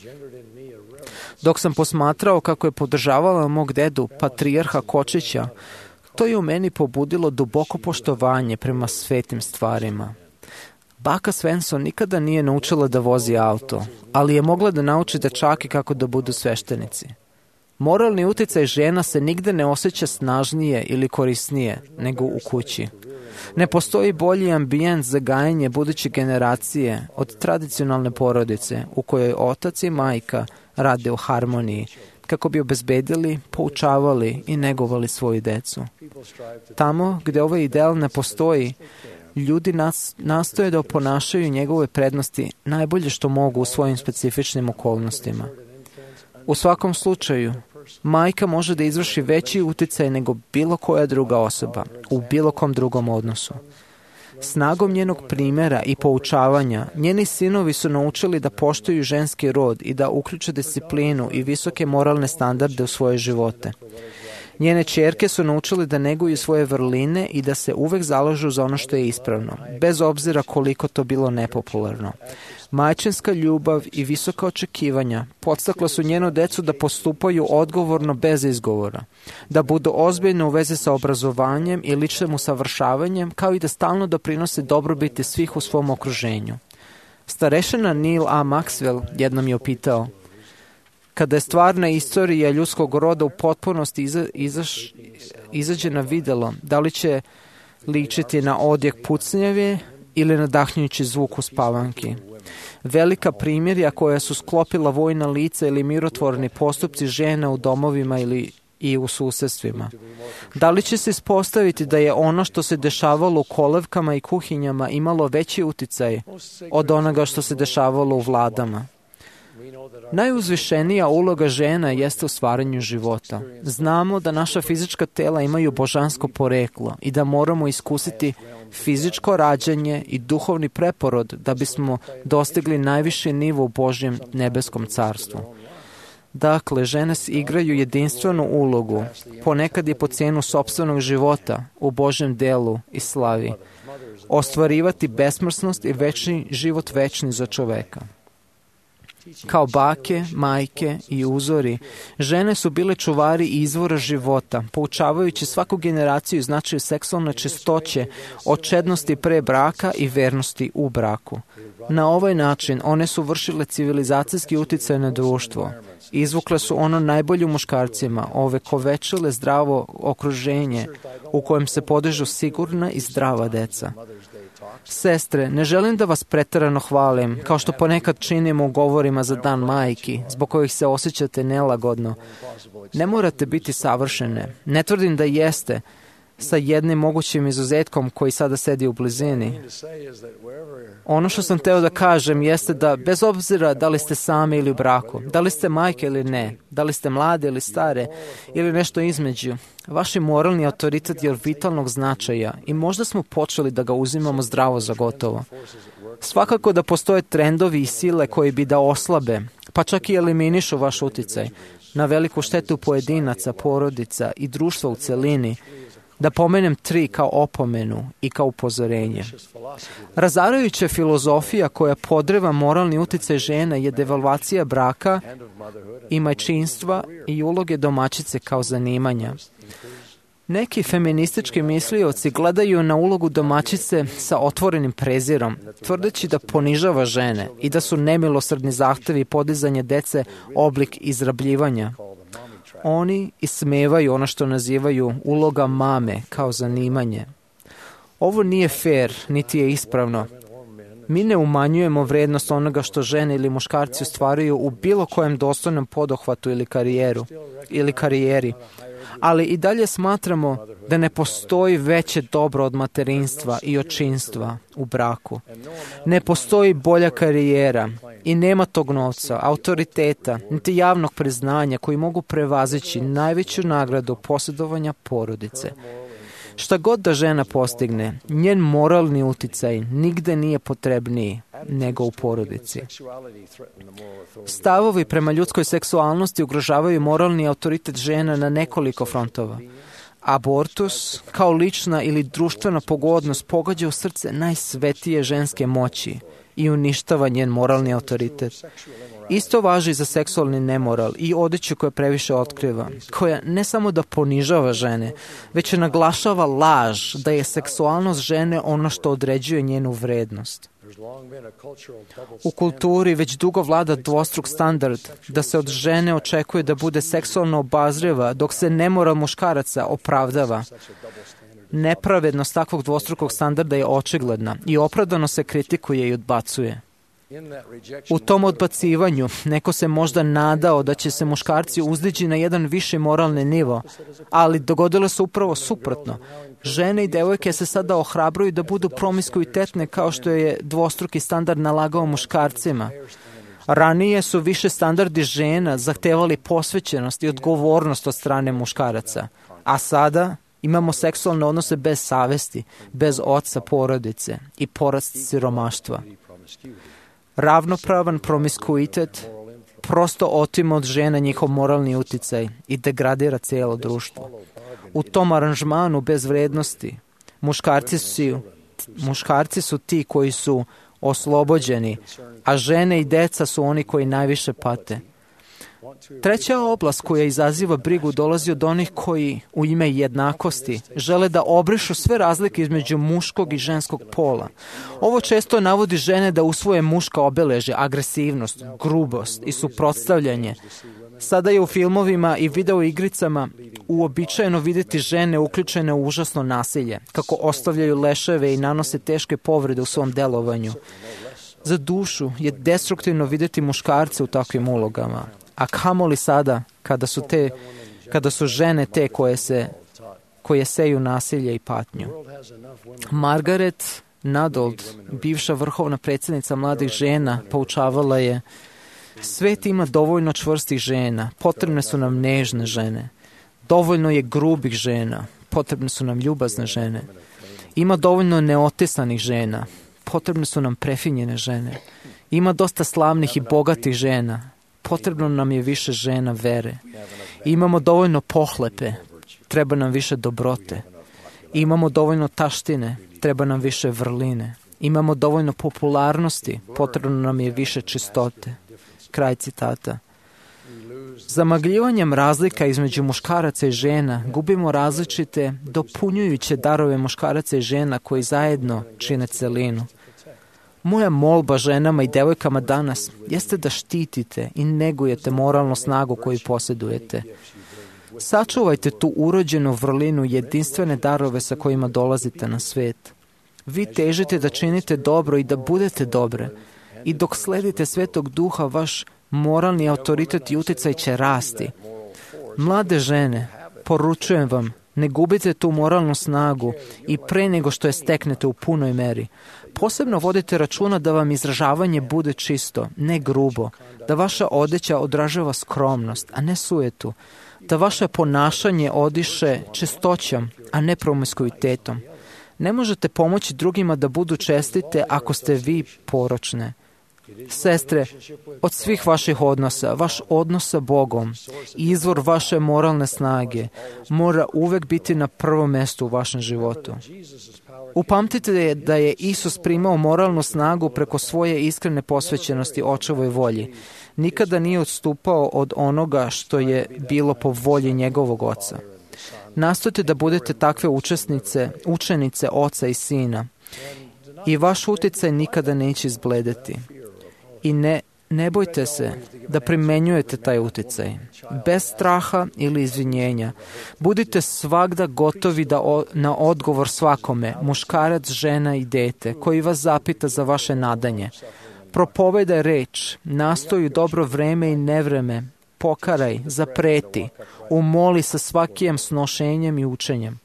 Dok sam posmatrao kako je podržavala mog dedu, patrijarha Kočića, to je u meni pobudilo duboko poštovanje prema svetim stvarima. Baka Svensson nikada nije naučila da vozi auto, ali je mogla da nauči dečake kako da budu sveštenici. Moralni uticaj žena se nigde ne osjeća snažnije ili korisnije nego u kući. Ne postoji bolji ambijent za gajanje buduće generacije od tradicionalne porodice u kojoj otac i majka rade u harmoniji kako bi obezbedili, poučavali i negovali svoju decu. Tamo gde ovaj ideal ne postoji, ljudi nastoje da oponašaju njegove prednosti najbolje što mogu u svojim specifičnim okolnostima. U svakom slučaju, majka može da izvrši veći uticaj nego bilo koja druga osoba u bilo kom drugom odnosu. Snagom njenog primjera i poučavanja, njeni sinovi su naučili da poštuju ženski rod i da uključe disciplinu i visoke moralne standarde u svoje živote. Njene ćerke su naučili da neguju svoje vrline i da se uvek zalažu za ono što je ispravno, bez obzira koliko to bilo nepopularno. Majčinska ljubav i visoka očekivanja podstakla su njenu decu da postupaju odgovorno bez izgovora, da budu ozbiljni u vezi sa obrazovanjem i ličnim usavršavanjem, kao i da stalno doprinose dobrobiti svih u svom okruženju. Starešina Neil A. Maxwell jednom je opitao: kada je stvarna istorija ljudskog roda u potpunosti izađe na videlo, da li će ličiti na odjek pucnjave ili nadahnjujući zvuk u spavanki? Velika primjerja koja su sklopila vojna lica ili mirotvorni postupci žena u domovima ili i u susedstvima. Da li će se ispostaviti da je ono što se dešavalo u kolevkama i kuhinjama imalo veći uticaj od onoga što se dešavalo u vladama? Najuzvišenija uloga žena jeste u stvaranju života. Znamo da naša fizička tela imaju božansko poreklo i da moramo iskusiti fizičko rađanje i duhovni preporod da bismo dostigli najviši nivo u Božjem nebeskom carstvu. Dakle, žene igraju jedinstvenu ulogu, ponekad i po cijenu sopstvenog života u Božjem delu i slavi, ostvarivati besmrtnost i večni život večni za čoveka. Kao bake, majke i uzori, žene su bile čuvari izvora života, poučavajući svaku generaciju značaju seksualne čistoće, očednosti pre braka i vernosti u braku. Na ovaj način one su vršile civilizacijski uticaj na društvo. Izvukle su ono najbolje u muškarcima, ovekovečile zdravo okruženje u kojem se podižu sigurna i zdrava deca. Sestre, ne želim da vas preterano hvalim, kao što ponekad činimo u govorima za dan majki, zbog kojih se osjećate nelagodno. Ne morate biti savršene. Ne tvrdim da jeste, sa jednim mogućim izuzetkom koji sada sedi u blizini. Ono što sam teo da kažem jeste da bez obzira da li ste sami ili u braku, da li ste majke ili ne, da li ste mlade ili stare ili nešto između, vaš moralni autoritet je od vitalnog značaja i možda smo počeli da ga uzimamo zdravo za gotovo. Svakako da postoje trendovi i sile koji bi da oslabe, pa čak i eliminišu vaš uticaj, na veliku štetu pojedinaca, porodica i društva u celini. Da pomenem 3 kao opomenu i kao upozorenje. Razarajuća filozofija koja podreva moralni uticaj žena je devalvacija braka i majčinstva i uloge domaćice kao zanimanja. Neki feministički mislioci gledaju na ulogu domaćice sa otvorenim prezirom, tvrdeći da ponižava žene i da su nemilosrdni zahtevi podizanja dece oblik izrabljivanja. Oni ismevaju ono što nazivaju uloga mame kao zanimanje. Ovo nije fair, niti je ispravno. Mi ne umanjujemo vrednost onoga što žene ili muškarci ostvaruju u bilo kojem dostojnom poduhvatu ili karijeri, ali i dalje smatramo da ne postoji veće dobro od materinstva i očinstva u braku. Ne postoji bolja karijera i nema tog novca, autoriteta, niti javnog priznanja koji mogu prevazići najveću nagradu posjedovanja porodice. Šta god da žena postigne, njen moralni uticaj nigde nije potrebniji nego u porodici. Stavovi prema ljudskoj seksualnosti ugrožavaju moralni autoritet žena na nekoliko frontova. Abortus, kao lična ili društvena pogodnost, pogađa u srce najsvetije ženske moći i uništava njen moralni autoritet. Isto važi za seksualni nemoral i odeću koja previše otkriva, koja ne samo da ponižava žene, već naglašava laž da je seksualnost žene ono što određuje njenu vrednost. U kulturi već dugo vlada dvostruk standard da se od žene očekuje da bude seksualno obazriva, dok se nemoral muškaraca opravdava. Nepravednost takvog dvostrukog standarda je očigledna i opravdano se kritikuje i odbacuje. U tom odbacivanju neko se možda nadao da će se muškarci uzdići na jedan viši moralni nivo, ali dogodilo se upravo suprotno. Žene i devojke se sada ohrabruju da budu promiskuitetne kao što je dvostruki standard nalagao muškarcima. Ranije su više standardi žena zahtevali posvećenost i odgovornost od strane muškaraca, a sada imamo seksualne odnose bez savesti, bez oca porodice i porast siromaštva. Ravnopravan promiskuitet prosto otima od žena njihov moralni uticaj i degradira cijelo društvo. U tom aranžmanu bez vrednosti muškarci su ti koji su oslobođeni, a žene i deca su oni koji najviše pate. Treća oblast koja izaziva brigu dolazi od onih koji u ime jednakosti žele da obrišu sve razlike između muškog i ženskog pola. Ovo često navodi žene da usvoje muška obeležja, agresivnost, grubost i suprotstavljanje. Sada je u filmovima i video igricama uobičajeno vidjeti žene uključene u užasno nasilje, kako ostavljaju leševe i nanose teške povrede u svom delovanju. Za dušu je destruktivno vidjeti muškarce u takvim ulogama, a kamoli sada kada su žene te koje seju nasilje i patnju. Margaret Nadold, bivša vrhovna predsjednica mladih žena, poučavala je: svet ima dovoljno čvrstih žena, potrebne su nam nežne žene. Dovoljno je grubih žena, potrebne su nam ljubazne žene. Ima dovoljno neotesanih žena, potrebne su nam prefinjene žene. Ima dosta slavnih i bogatih žena, potrebno nam je više žena vere. Imamo dovoljno pohlepe, treba nam više dobrote. Imamo dovoljno taštine, treba nam više vrline. Imamo dovoljno popularnosti, potrebno nam je više čistote. Kraj citata. Zamagljivanjem razlika između muškaraca i žena gubimo različite, dopunjujuće darove muškaraca i žena koji zajedno čine celinu. Moja molba ženama i devojkama danas jeste da štitite i negujete moralnu snagu koju posjedujete. Sačuvajte tu urođenu vrlinu i jedinstvene darove sa kojima dolazite na svet. Vi težite da činite dobro i da budete dobre. I dok sledite Svetog Duha, vaš moralni autoritet i utjecaj će rasti. Mlade žene, poručujem vam, ne gubite tu moralnu snagu i pre nego što je steknete u punoj meri. Posebno vodite računa da vam izražavanje bude čisto, ne grubo, da vaša odeća odražava skromnost, a ne sujetu, da vaše ponašanje odiše čistoćom, a ne promiskuitetom. Ne možete pomoći drugima da budu čestite ako ste vi poročne. Sestre, od svih vaših odnosa, vaš odnos sa Bogom i izvor vaše moralne snage mora uvek biti na prvom mjestu u vašem životu. Upamtite da je Isus primao moralnu snagu preko svoje iskrene posvećenosti Očevoj volji. Nikada nije odstupao od onoga što je bilo po volji njegovog Oca. Nastojte da budete takve učenice Oca i Sina i vaš utjecaj nikada neće izbledeti. I ne bojte se da primenjujete taj utjecaj. Bez straha ili izvinjenja. Budite svagda gotovi na odgovor svakome, muškarac, žena i dete, koji vas zapita za vaše nadanje. Propovedaj reč, nastoj u dobro vreme i nevreme, pokaraj, zapreti, umoli sa svakim snošenjem i učenjem.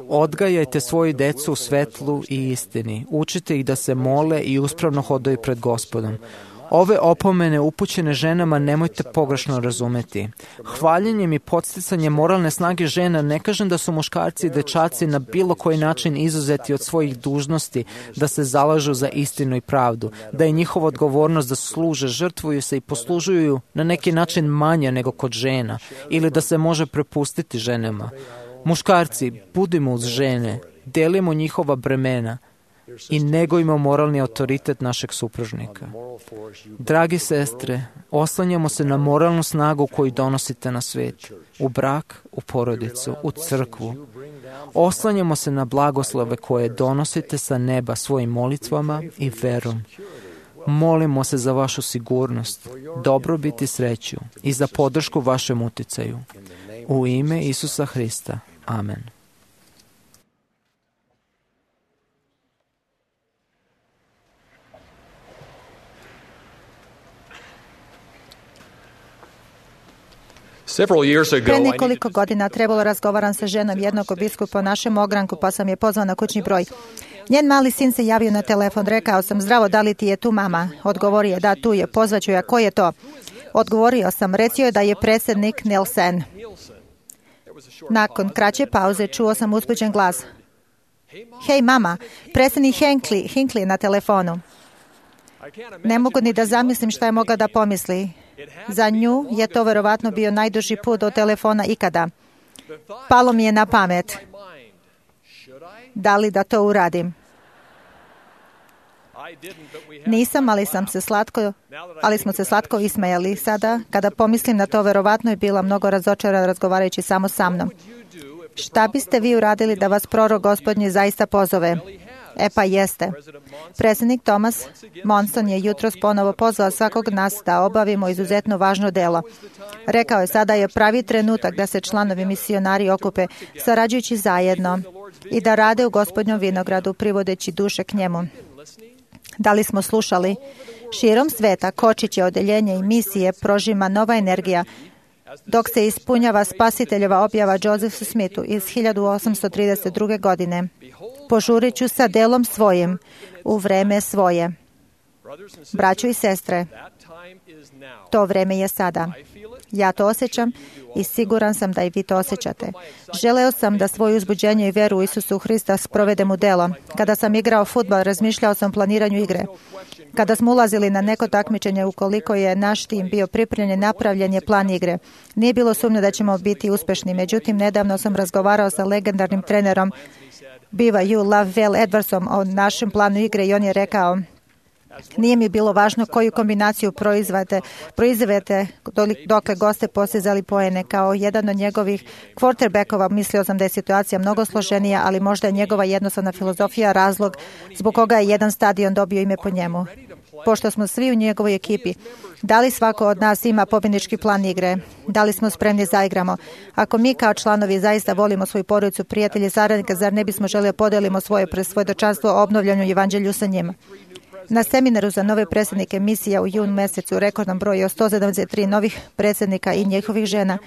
Odgajajte svoju decu u svetlu i istini. Učite ih da se mole i uspravno hodaju pred Gospodom. Ove opomene upućene ženama nemojte pogrešno razumeti. Hvaljenjem i podsticanjem moralne snage žena ne kažem da su muškarci i dečaci na bilo koji način izuzeti od svojih dužnosti da se zalažu za istinu i pravdu, da je njihova odgovornost da služe, žrtvuju se i poslužuju na neki način manje nego kod žena ili da se može prepustiti ženama. Muškarci, budimo uz žene, delimo njihova bremena i negujmo moralni autoritet našeg supružnika. Dragi sestre, oslanjamo se na moralnu snagu koju donosite na svet, u brak, u porodicu, u crkvu. Oslanjamo se na blagoslove koje donosite sa neba svojim molitvama i verom. Molimo se za vašu sigurnost, dobrobit i sreću i za podršku vašem uticaju. U ime Isusa Hrista. Amen. Pre nekoliko godina trebalo razgovaram sa ženom jednog biskupa u našem ogranku, pa sam je pozvao na kućni broj. Njen mali sin se javio na telefon, rekao sam, zdravo, da li ti je tu mama? Odgovorio je, da, tu je, pozvaću ja, ko je to? Odgovorio sam, recio je da je predsjednik Nielsen. Nakon kraće pauze čuo sam uzbuđen glas. Hej mama, predsjednik Hinckley je na telefonu. Ne mogu ni da zamislim šta je mogla da pomisli. Za nju je to verovatno bio najduži put do telefona ikada. Palo mi je na pamet. Da li da to uradim? Nisam, ali smo se slatko ismejali. Sada, kada pomislim na to, verovatno je bila mnogo razočarana razgovarajući samo sa mnom. Šta biste vi uradili da vas prorok Gospodnji zaista pozove? Pa jeste. Predsjednik Thomas Monson je jutros ponovo pozvao svakog nas da obavimo izuzetno važno delo. Rekao je, sada je pravi trenutak da se članovi misionari okupe, sarađujući zajedno i da rade u Gospodnjom vinogradu, privodeći duše k njemu. Da li smo slušali? Širom sveta kočiće odeljenje i misije prožima nova energija, dok se ispunjava spasiteljeva objava Josephu Smithu iz 1832. godine. Požurit ću sa delom svojim u vreme svoje. Braćo i sestre, to vreme je sada. Ja to osjećam i siguran sam da i vi to osjećate. Želeo sam da svoje uzbuđenje i veru u Isusu Hrista sprovedem u delo. Kada sam igrao fudbal, razmišljao sam o planiranju igre. Kada smo ulazili na neko takmičenje, ukoliko je naš tim bio pripremljen, napravljen je plan igre. Nije bilo sumnje da ćemo biti uspešni. Međutim, nedavno sam razgovarao sa legendarnim trenerom BYU Lavelle Edwardsom o našem planu igre i on je rekao, nije mi bilo važno koju kombinaciju proizvedete dokle goste postizali poene. Kao jedan od njegovih quarterbackova mislio sam da je situacija mnogo složenija, ali možda je njegova jednostavna filozofija razlog zbog koga je jedan stadion dobio ime po njemu. Pošto smo svi u njegovoj ekipi, da li svako od nas ima pobjednički plan igre? Da li smo spremni za igramo? Ako mi kao članovi zaista volimo svoju porodicu, prijatelje, saradnika, zar ne bismo želeli podelimo svoje presvjedočanstvo o obnovljanju evanđelju sa njima? Na seminaru za nove predsjednike misija u junu mesecu, rekordnom broju od 173 novih predsjednika i njihovih žena,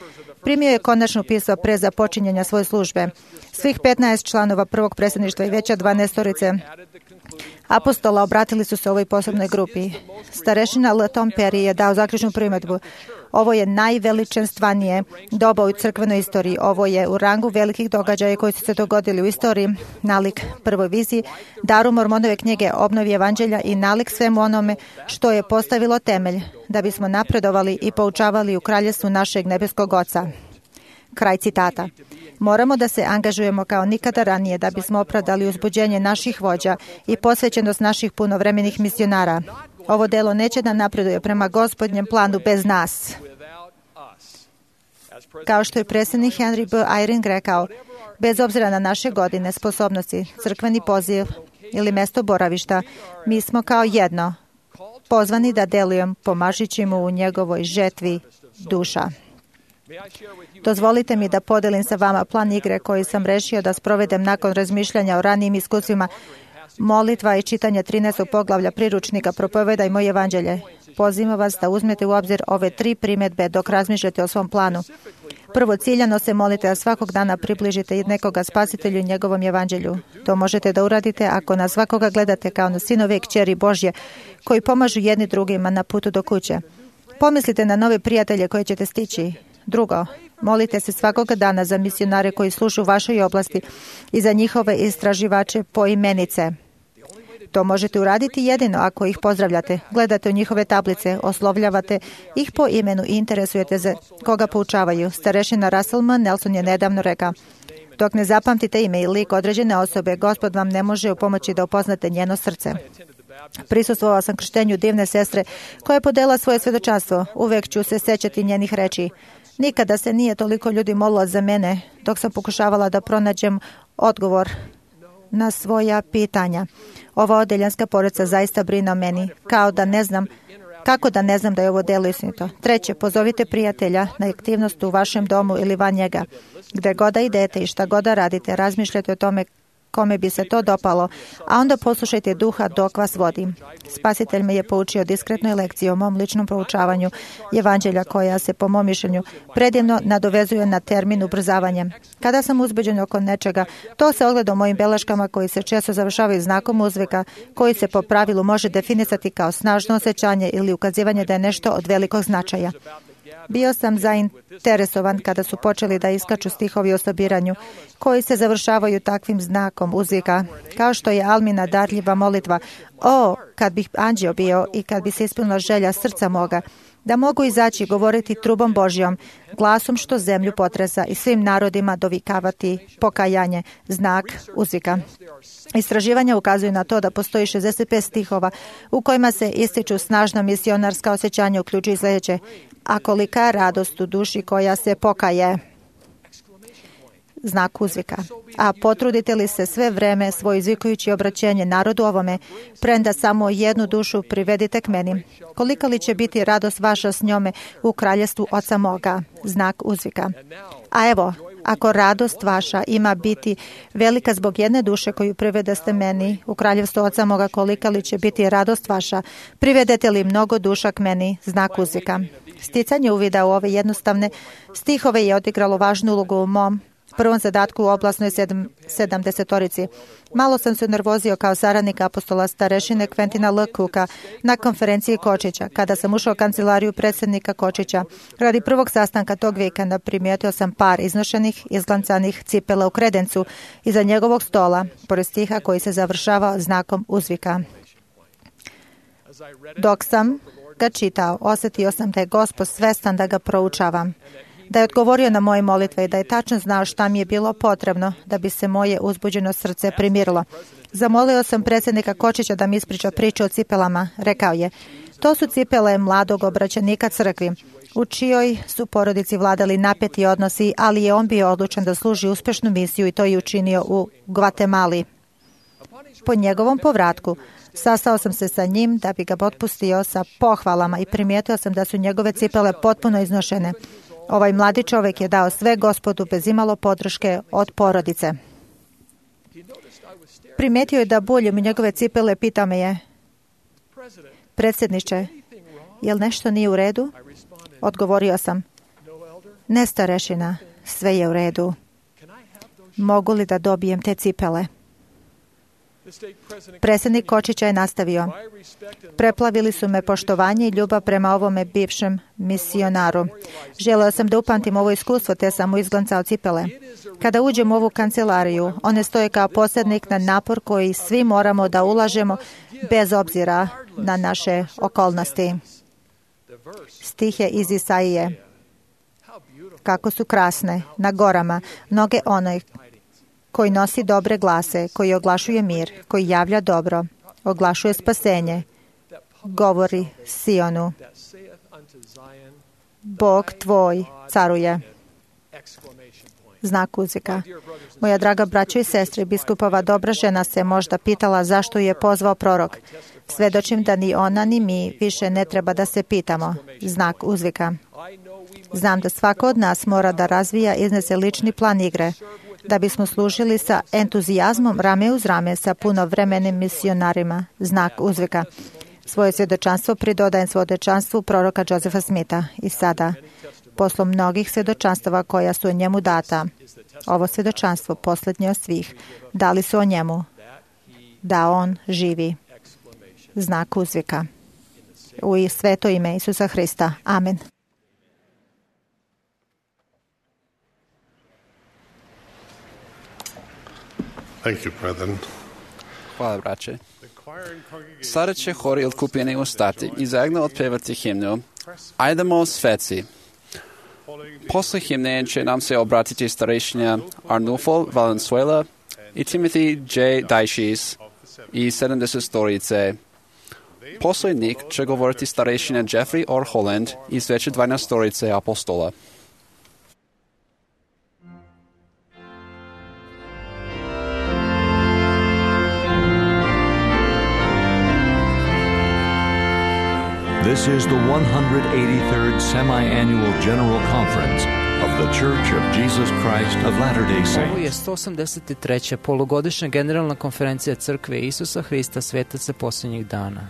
primio je konačno pismo pre započinjanja svoje službe. Svih 15 članova prvog predsjedništva i veća 12 apostola obratili su se ovoj posebnoj grupi. Starešina L. Tom Perry je dao zaključnu primjedbu. Ovo je najveličanstvenije doba u crkvenoj istoriji. Ovo je u rangu velikih događaja koji su se dogodili u istoriji, nalik prvoj viziji, daru Mormonove knjige, obnovi evanđelja i nalik svemu onome što je postavilo temelj da bismo napredovali i poučavali u kraljevstvu našeg nebeskog Oca. Kraj citata. Moramo da se angažujemo kao nikada ranije da bismo opravdali uzbuđenje naših vođa i posvećenost naših punovremenih misionara. Ovo delo neće da napreduje prema Gospodnjem planu bez nas. Kao što je predsjednik Henry B. Eyring rekao, bez obzira na naše godine, sposobnosti, crkveni poziv ili mesto boravišta, mi smo kao jedno pozvani da delujemo pomažući mu u njegovoj žetvi duša. Dozvolite mi da podelim sa vama plan igre koji sam rešio da sprovedem nakon razmišljanja o ranijim iskustvima, molitva i čitanje 13. poglavlja priručnika Propovedaj moje evanđelje. Pozivam vas da uzmete u obzir ove 3 primjedbe dok razmišljate o svom planu. Prvo, ciljano se molite da svakog dana približite nekoga spasitelju i njegovom evanđelju. To možete da uradite ako na svakoga gledate kao na sinove i kćeri Božje koji pomažu jedni drugima na putu do kuće. Pomislite na nove prijatelje koje ćete stići. Drugo, molite se svakoga dana za misionare koji služu u vašoj oblasti i za njihove istraživače poimenice. To možete uraditi jedino ako ih pozdravljate, gledate u njihove tablice, oslovljavate ih po imenu i interesujete za koga poučavaju. Starešina Russell M. Nelson je nedavno rekao, dok ne zapamtite ime i lik određene osobe, Gospod vam ne može upomoći da upoznate njeno srce. Prisustvovao sam krštenju divne sestre koja je podela svoje svjedočanstvo. Uvek ću se sećati njenih reči. Nikada se nije toliko ljudi molilo za mene dok sam pokušavala da pronađem odgovor na svoja pitanja. Ova odeljanska porodica zaista brine o meni, kao da ne znam kako da ne znam da je ovo delo istinito. Treće, pozovite prijatelja na aktivnost u vašem domu ili van njega. Gde god da idete i šta god da radite, razmišljate o tome kome bi se to dopalo, a onda poslušajte duha dok vas vodi. Spasitelj me je poučio diskretnoj lekciji o mom ličnom proučavanju evanđelja koja se, po mom mišljenju, predivno nadovezuje na termin ubrzavanje. Kada sam uzbeđen oko nečega, to se ogleda u mojim beleškama koji se često završavaju znakom uzvika, koji se po pravilu može definisati kao snažno osjećanje ili ukazivanje da je nešto od velikog značaja. Bio sam zainteresovan kada su počeli da iskaču stihovi o sobiranju, koji se završavaju takvim znakom uzvika, kao što je Almina darljiva molitva: o, kad bih anđeo bio i kad bi se ispunila želja srca moga, da mogu izaći govoriti trubom Božjom, glasom što zemlju potresa i svim narodima dovikavati pokajanje, znak uzvika. Istraživanja ukazuju na to da postoji 65 stihova u kojima se ističu snažna misionarska osjećanja, uključuju sljedeće: a kolika je radost u duši koja se pokaje, znak uzvika. A potrudite li se sve vreme svoje izvikujući obraćenje narodu ovome, premda samo jednu dušu privedite k meni, kolika li će biti radost vaša s njome u kraljestvu Oca moga, znak uzvika. A evo, ako radost vaša ima biti velika zbog jedne duše koju privedaste meni u kraljevstvu Oca moga, kolika li će biti radost vaša, privedete li mnogo duša k meni, znak uzvika. Sticanje uvida u ove jednostavne stihove je odigralo važnu ulogu u mom prvom zadatku u oblastnoj 70-torici. Malo sam se nervozio kao saradnik apostola starešine Quentina L. Cooka na konferenciji Kočića. Kada sam ušao u kancelariju predsjednika Kočića, radi prvog sastanka tog vikenda primijetio sam par iznošenih, izglancanih cipela u kredencu iza njegovog stola, pored stiha koji se završava znakom uzvika. Dok sam ga čitao, osjetio sam da je Gospod svestan da ga proučavam, da je odgovorio na moje molitve i da je tačno znao šta mi je bilo potrebno da bi se moje uzbuđeno srce primirilo. Zamolio sam predsjednika Kočića da mi ispriča priču o cipelama. Rekao je: to su cipele mladog obraćenika crkvi, u čijoj su porodici vladali napeti odnosi, ali je on bio odlučan da služi uspješnu misiju i to je učinio u Gvatemali. Po njegovom povratku sastao sam se sa njim da bi ga otpustio sa pohvalama i primijetio sam da su njegove cipele potpuno iznošene. Ovaj mladi čovjek je dao sve Gospodu bez imalo podrške od porodice. Primijetio je da buljem u njegove cipele, pitao me je: predsjedniče, jel nešto nije u redu? Odgovorio sam: ne, starešina, sve je u redu. Mogu li da dobijem te cipele? Predsjednik Kočića je nastavio: preplavili su me poštovanje i ljubav prema ovome bivšem misionaru. Želeo sam da upamtim ovo iskustvo, te sam mu izglancao cipele. Kada uđem u ovu kancelariju, one stoje kao posrednik na napor koji svi moramo da ulažemo bez obzira na naše okolnosti. Stih je iz Isaije: kako su krasne na gorama noge onaj koji nosi dobre glase, koji oglašuje mir, koji javlja dobro, oglašuje spasenje, govori Sionu: Bog tvoj caruje. Znak uzvika. Moja draga braćo i sestre, biskupova dobra žena se možda pitala zašto je pozvao prorok. Svedočim da ni ona ni mi više ne treba da se pitamo. Znak uzvika. Znam da svako od nas mora da razvija i iznese lični plan igre, da bismo služili sa entuzijazmom rame uz rame sa punovremenim misionarima. Znak uzvika. Svoje svjedočanstvo pridodajem svjedočanstvu proroka Josefa Smitha. I sada, posle mnogih svjedočanstava koja su o njemu data, ovo svjedočanstvo, posljednje od svih, dali su o njemu, da on živi. Znak uzvika. U sveto ime Isusa Hrista. Amen. Thank you, brethren. Hvala, braće. Sada će hor i otkupljeni ustati i zajedno otpevati himnu Ajdemo sveci. Posle himne će nam se obratiti starešinja Arnulfo Valenzuela i Timothy J. Dajšis i 70 storice. Posle njih će govoriti starešinja Jeffrey R. Holland iz veće 12 storice apostola. This is the 183rd Semi-Annual General Conference of The Church of Jesus Christ of Latter-day Ovo je Saints. 183. polugodišnja generalna konferencija Crkve Isusa Hrista Svetaca posljednjih dana.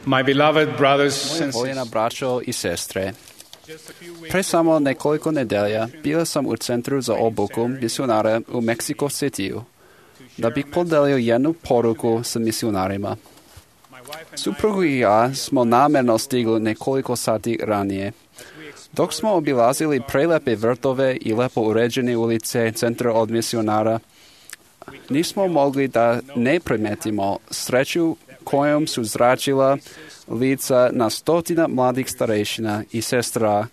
My beloved brothers Moja and voljena sisters, braćo i sestre, pre samo nekoliko nedelja bila sam u centru za obuku misionara u Mexico Cityu, da bih podelio jednu poruku sa misionarima. Suprugu i ja smo namjerno stigli nekoliko sati ranije. Dok smo obilazili prelepe vrtove i lepo uređene ulice centra od misionara, nismo mogli da ne primetimo sreću kojom su zračila lica na stotina mladih starešina i sestra,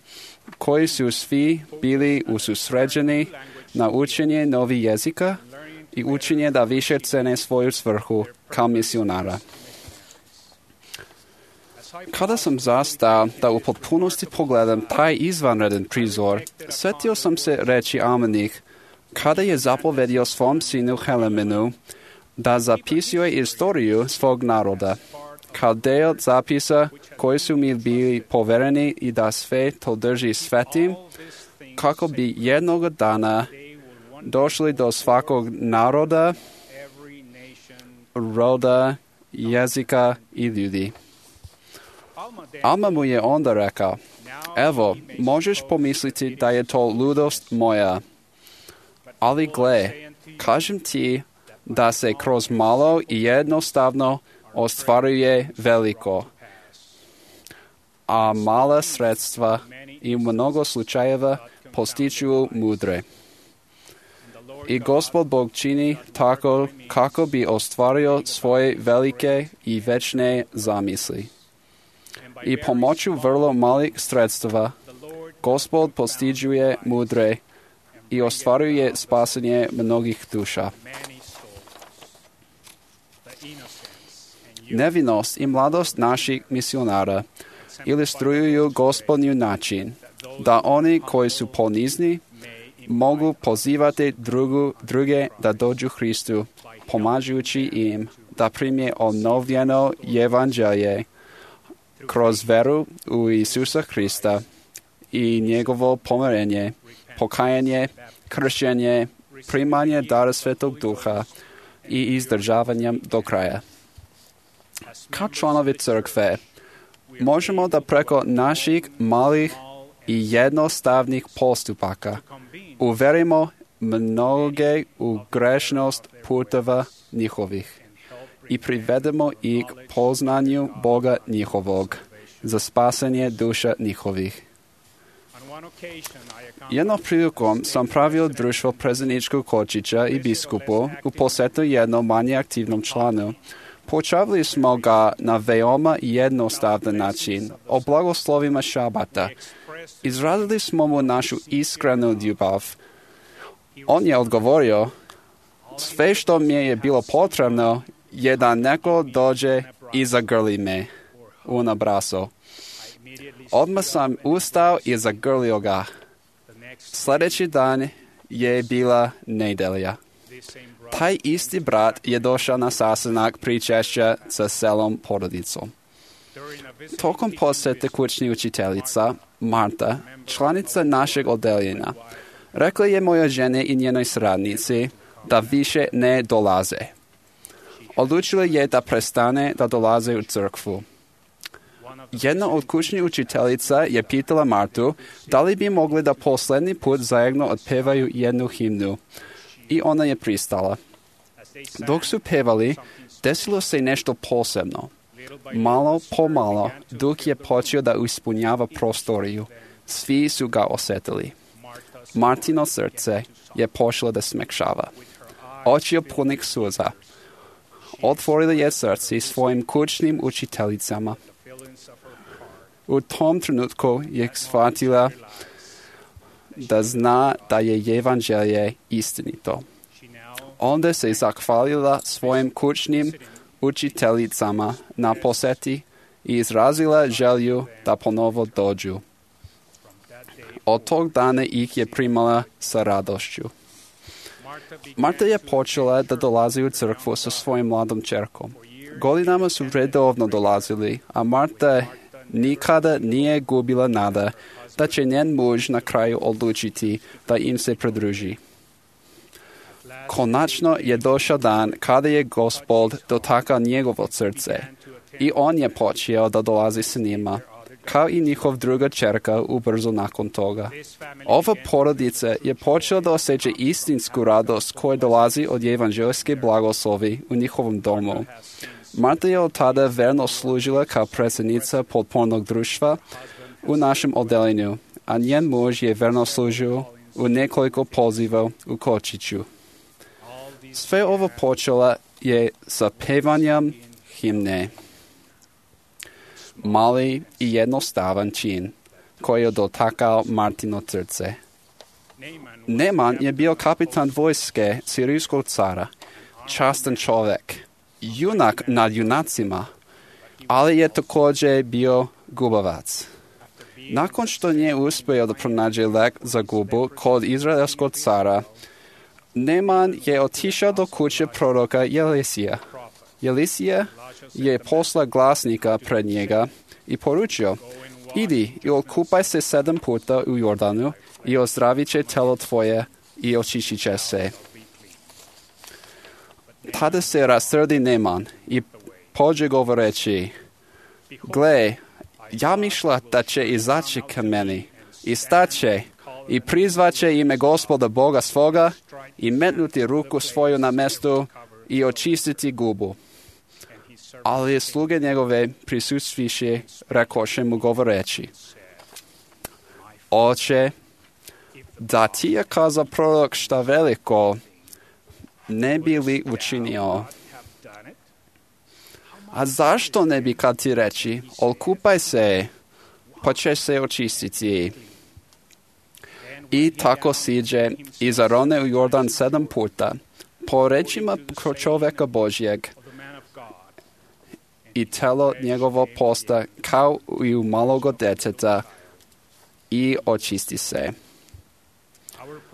koji su svi bili ususređeni na učenje novih jezika i učenje da više cene svoju svrhu kao misionara. Kada sam zastao da u potpunosti pogledam taj izvanredan prizor, sjetio sam se reći Amenih, kada je zapovedio svom sinu Helemenu da zapisuje istoriju svog naroda, kao del zapisa koji su mi bili povereni i da sve to drži svetim, kako bi jednog dana došli do svakog naroda, roda, jezika i ljudi. Alma mu je onda rekao, evo, možeš pomisliti da je to ludost moja, ali gle, kažem ti da se kroz malo i jednostavno ostvaruje veliko, a mala sredstva i mnogo slučajeva postiču mudre. I Gospod Bog čini tako kako bi ostvario svoje velike i večne zamisli. I pomoću vrlo malih sredstava Gospod postiđuje mudre i ostvaruje spasanje mnogih duša. Nevinost i mladost naših misionara ilustruju Gospodnju način da oni koji su ponizni mogu pozivati druge da dođu Hristu, pomažući im da prime obnovljeno evanđelje kroz veru u Isusa Hrista i njegovo pomirenje, pokajanje, kršćenje, primanje dara Svetog Duha i izdržavanjem do kraja. Kao članovi crkve, možemo da preko naših malih i jednostavnih postupaka uverimo mnoge u grešnost puteva njihovih i privedemo ih poznanju Boga njihovog za spasanje duša njihovih. Jednom prilikom sam pravio društvo prezeničkog kočića i biskupu u posjetu jednom manje aktivnom članu. Počavili smo ga na veoma jednostavan način, o blagoslovima šabata. Izrazili smo mu našu iskrenu ljubav. On je odgovorio, sve što mi je bilo potrebno je da neko dođe i zagrli me u abrazo. Odmah sam ustao i zagrlio ga. Sljedeći dan je bila nedelja. Taj isti brat je došao na sastanak pričešća sa celom porodicom. Tokom posjete kućni učiteljica, Marta, članica našeg odeljenja, rekla je moja žene i njenoj sradnici da više ne dolaze. Odlučila je da prestane da dolaze u crkvu. Jedna od kućnih učiteljica je pitala Martu da li bi mogli da posljednji put zajedno otpevaju jednu himnu. I ona je pristala. Dok su pevali, desilo se nešto posebno. Malo po malo, Duh je počeo da ispunjava prostoriju. Svi su ga osjetili. Martino srce je počelo da smekšava. Oči punih suza. Otvorila je srce svojim kućnim učiteljicama. U tom trenutku je shvatila da zna da je evanđelje istinito. Onda se zahvalila svojim kućnim učiteljicama na posjeti i izrazila želju da ponovo dođu. Od tog dana ih je primala sa radošću. Marta je počela da dolazi u crkvu sa svojim mladom čerkom. Godinama su redovno dolazili, a Marta nikada nije gubila nada da će njen muž na kraju odlučiti da im se pridruži. Konačno je došao dan kada je Gospod dotakao njegovo srce i on je počeo da dolazi s njima, kao i njihov druga čerka ubrzo nakon toga. Ova porodica je počela da osjeća istinsku radost koja dolazi od evanđelske blagoslovi u njihovom domu. Marta je od tada verno služila kao predsjednica potpornog društva u našem odeljenju, a njen muž je verno služio u nekoliko poziva u Kočiću. Sve ovo počela je sa pevanjem himne. Mali i jednostavan čin koji je dotakao Martino srce. Neman je bio kapitan vojske sirijskog cara, častan čovjek, junak nad junacima, ali je također bio gubavac. Nakon što nije uspio da pronađe lek za gubu kod izraelskog cara, Neman je otišao do kuće proroka Jelisija. Jelisija je poslao glasnika pred njega i poručio, idi i okupaj se 7 puta u Jordanu i ozdravit će telo tvoje i očištit će se. Tada se rasrdi Neman i pođe govoreći, gle, ja mišla da će izaći ka meni i staće i prizvaće ime Gospoda Boga svoga i metnuti ruku svoju na mestu i očistiti gubu. Ali sluge njegove prisustviše rekoše mu govoreći, oče, da ti je kazao prorok šta veliko, ne bi li učinio? A zašto ne bi kad ti reći, okupaj se, pa će se očistiti? I tako siđe i zarone u Jordan 7 puta, po rečima čovjeka Božjeg, i telo njegovo posta kao i u maloga djeteta i očisti se.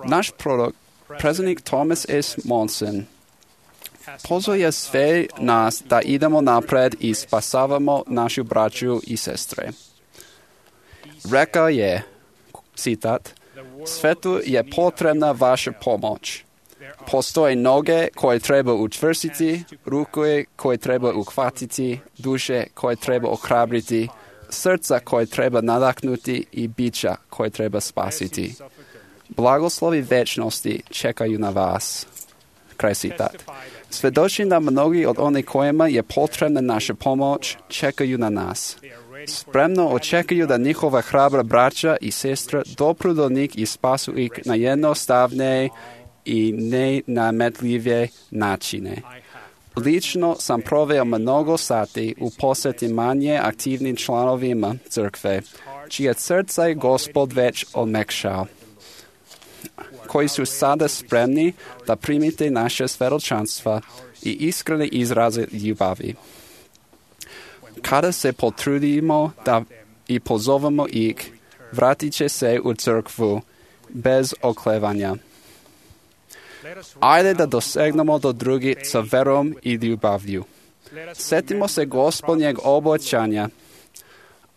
Naš prorok, predsjednik Thomas S. Monson, pozove sve nas da idemo napred i spasavamo našu braću i sestre. Rekao je, citat, svetu je potrebna vaša pomoć. Postoje noge koje treba učvrstiti, ruke koje treba uhvatiti, duše koje treba ohrabriti, srca koje treba nadahnuti i bića koje treba spasiti. Blagoslovi večnosti čekaju na vas. Kraj citat. Svjedočim da mnogi od onih kojima je potrebna naša pomoć čekaju na nas. Spremno očekuju da njihova hrabra braća i sestra dopru do njih i spasu ih na jednostavne i nenametljivije načine. Lično sam proveo mnogo sati u posjeti manje aktivnim članovima crkve, čije srca je Gospod već omekšao, koji su sada spremni da primite naše svjedočanstva i iskrene izraze ljubavi. Kada se potrudimo da i pozovemo ih, vratit će se u crkvu bez oklevanja. Ajde da dosegnemo do drugih sa verom i ljubavlju. Sjetimo se Gospodnjeg obećanja,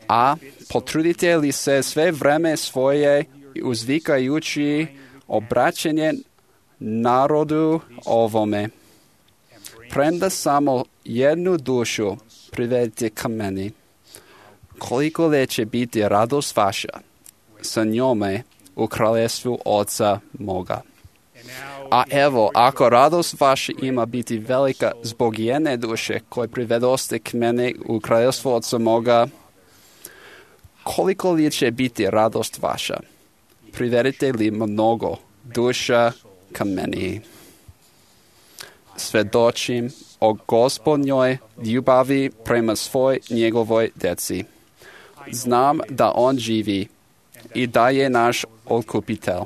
a potrudite li se sve vreme svoje uzvikajući obraćanje narodu ovome. Premda samo jednu dušu privedite ka meni. Koliko li će biti radost vaša sa njome u kraljevstvu Oca moga. A evo, ako radost vaša ima biti velika zbog jedne duše koje privedoste k mene u kraljevstvu Oca moga, koliko li će biti radost vaša? Privedite li mnogo duša ka meni? Svjedočim o Gospodnjoj ljubavi prema svoj njegovoj djeci. Znam da on živi i da je naš otkupitelj.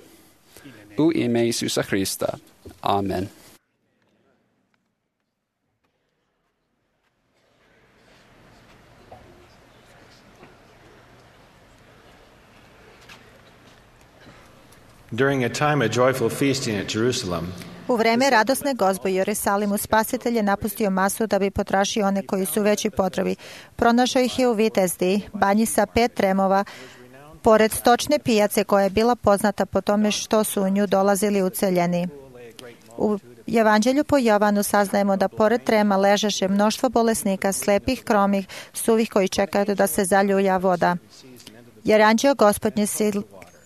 U ime Isusa Hrista. Amen. During a time of joyful feasting at Jerusalem, u vreme radosne gozbe u Jerusalimu spasitelj je napustio masu da bi potražio one koji su veći potrebi. Pronašao ih je u Vitezdi, banji sa 5 tremova, pored stočne pijace koja je bila poznata po tome što su u nju dolazili uceljeni. U Evanđelju po Jovanu saznajemo da pored trema ležaše mnoštvo bolesnika, slepih, kromih, suvih koji čekaju da se zaljulja voda. Jer anđeo Gospodnji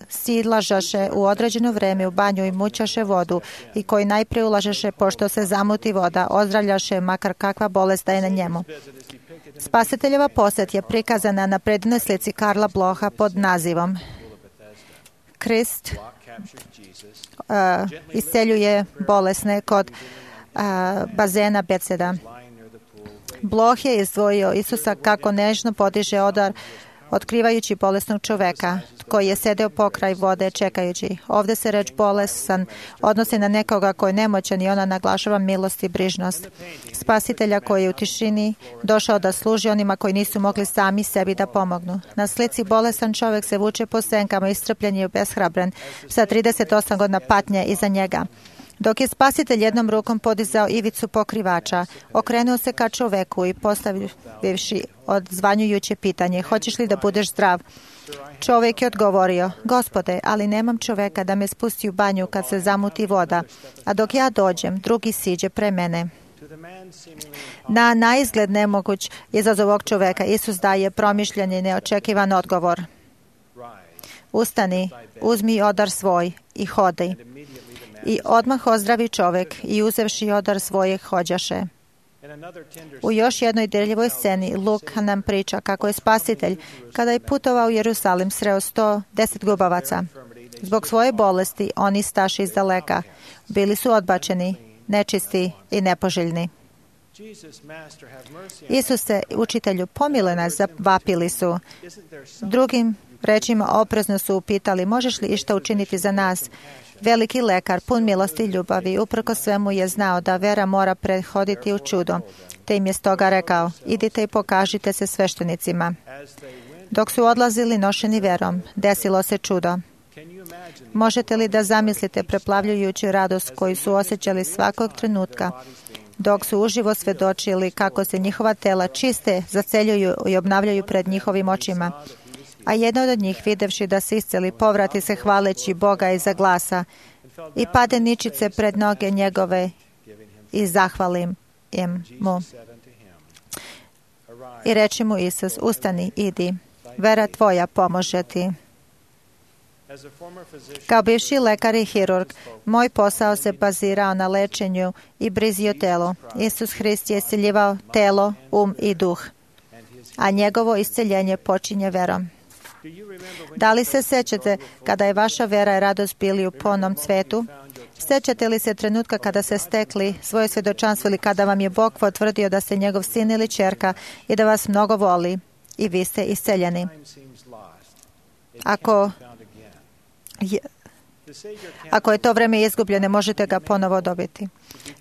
silažaše u određeno vreme u banju i mućaše vodu i koji najprije ulažaše pošto se zamuti voda, ozdravljaše makar kakva bolest da je na njemu. Spasiteljeva posjet je prikazana na predivnoj slici Karla Bloha pod nazivom Krist isceljuje bolesne kod bazena Beceda. Bloh je izdvojio Isusa kako nežno podiže odar otkrivajući bolesnog čoveka koji je sedeo pokraj vode čekajući. Ovdje se reč bolesan odnosi na nekoga koji je nemoćan i ona naglašava milost i brižnost. Spasitelja koji je u tišini došao da služi onima koji nisu mogli sami sebi da pomognu. Na slici bolesan čovjek se vuče po senkama, iscrpljen i obeshrabren, sa 38 godina patnje iza njega. Dok je spasitelj jednom rukom podizao ivicu pokrivača, okrenuo se ka čoveku i postavivši odzvanjujuće pitanje, hoćeš li da budeš zdrav? Čovjek je odgovorio, Gospode, ali nemam čoveka da me spusti u banju kad se zamuti voda, a dok ja dođem, drugi siđe pre mene. Na naizgled nemoguć izazov ovog čoveka Isus daje promišljen i neočekivan odgovor. Ustani, uzmi odar svoj i hodaj. I odmah ozdravi čovjek i uzevši odar svoje hođaše. U još jednoj dirljivoj sceni Luka nam priča kako je spasitelj, kada je putovao u Jerusalim, sreo 110 gubavaca. Zbog svoje bolesti oni staše iz daleka. Bili su odbačeni, nečisti i nepoželjni. Isuse, učitelju, pomiluj nas, zavapili su. Drugim rečima oprezno su upitali, možeš li išta učiniti za nas? Veliki lekar, pun milosti i ljubavi, uprkos svemu je znao da vera mora prethoditi u čudo, te im je stoga rekao, idite i pokažite se sveštenicima. Dok su odlazili nošeni verom, desilo se čudo. Možete li da zamislite preplavljujuću radost koju su osjećali svakog trenutka, dok su uživo svedočili kako se njihova tela čiste, zaceljuju i obnavljaju pred njihovim očima. A jedan od njih, videvši da se isceli, povrati se hvaleći Boga iza glasa, i pade ničice pred noge njegove i zahvalim mu. I reče mu Isus, ustani, idi, vera tvoja pomože ti. Kao bivši lekar i hirurg, moj posao se bazirao na lečenju i brizi o telu. Isus Hrist je isceljivao telo, i duh, a njegovo isceljenje počinje verom. Da li se sećate kada je vaša vera i radost bili u punom cvetu? Sećate li se trenutka kada ste stekli svoje svjedočanstvo ili kada vam je Bog potvrdio da ste njegov sin ili ćerka i da vas mnogo voli i vi ste isceljeni? Ako je to vreme izgubljeno, možete ga ponovo dobiti.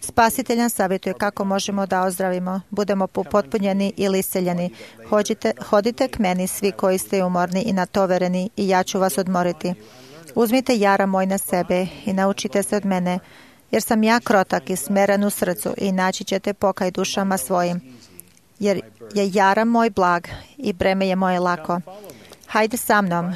Spasitelj nam savjetuje kako možemo da ozdravimo, budemo upotpunjeni ili isceljeni. Hodite k meni svi koji ste umorni i natovereni i ja ću vas odmoriti. Uzmite jara moj na sebe i naučite se od mene, jer sam ja krotak i smeren u srcu i naći ćete pokaj dušama svojim. Jer je jara moj blag i breme je moje lako. Hajde sa mnom.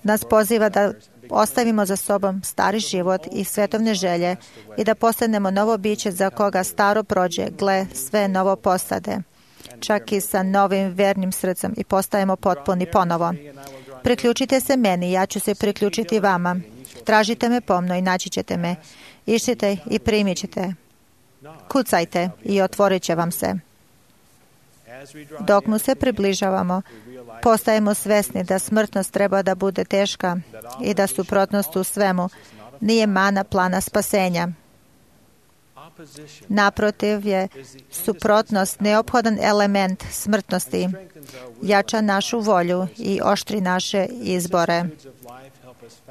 Nas poziva da ostavimo za sobom stari život i svetovne želje i da postanemo novo biće za koga staro prođe, gle, sve novo postade. Čak i sa novim vernim srcem i postajemo potpuni ponovo. Priključite se meni, ja ću se priključiti vama. Tražite me pomno i naći ćete me. Išćite i primit ćete. Kucajte i otvorit će vam se. Dok mu se približavamo, postajemo svesni da smrtnost treba da bude teška i da suprotnost u svemu nije mana plana spasenja. Naprotiv je suprotnost neophodan element smrtnosti, jača našu volju i oštri naše izbore.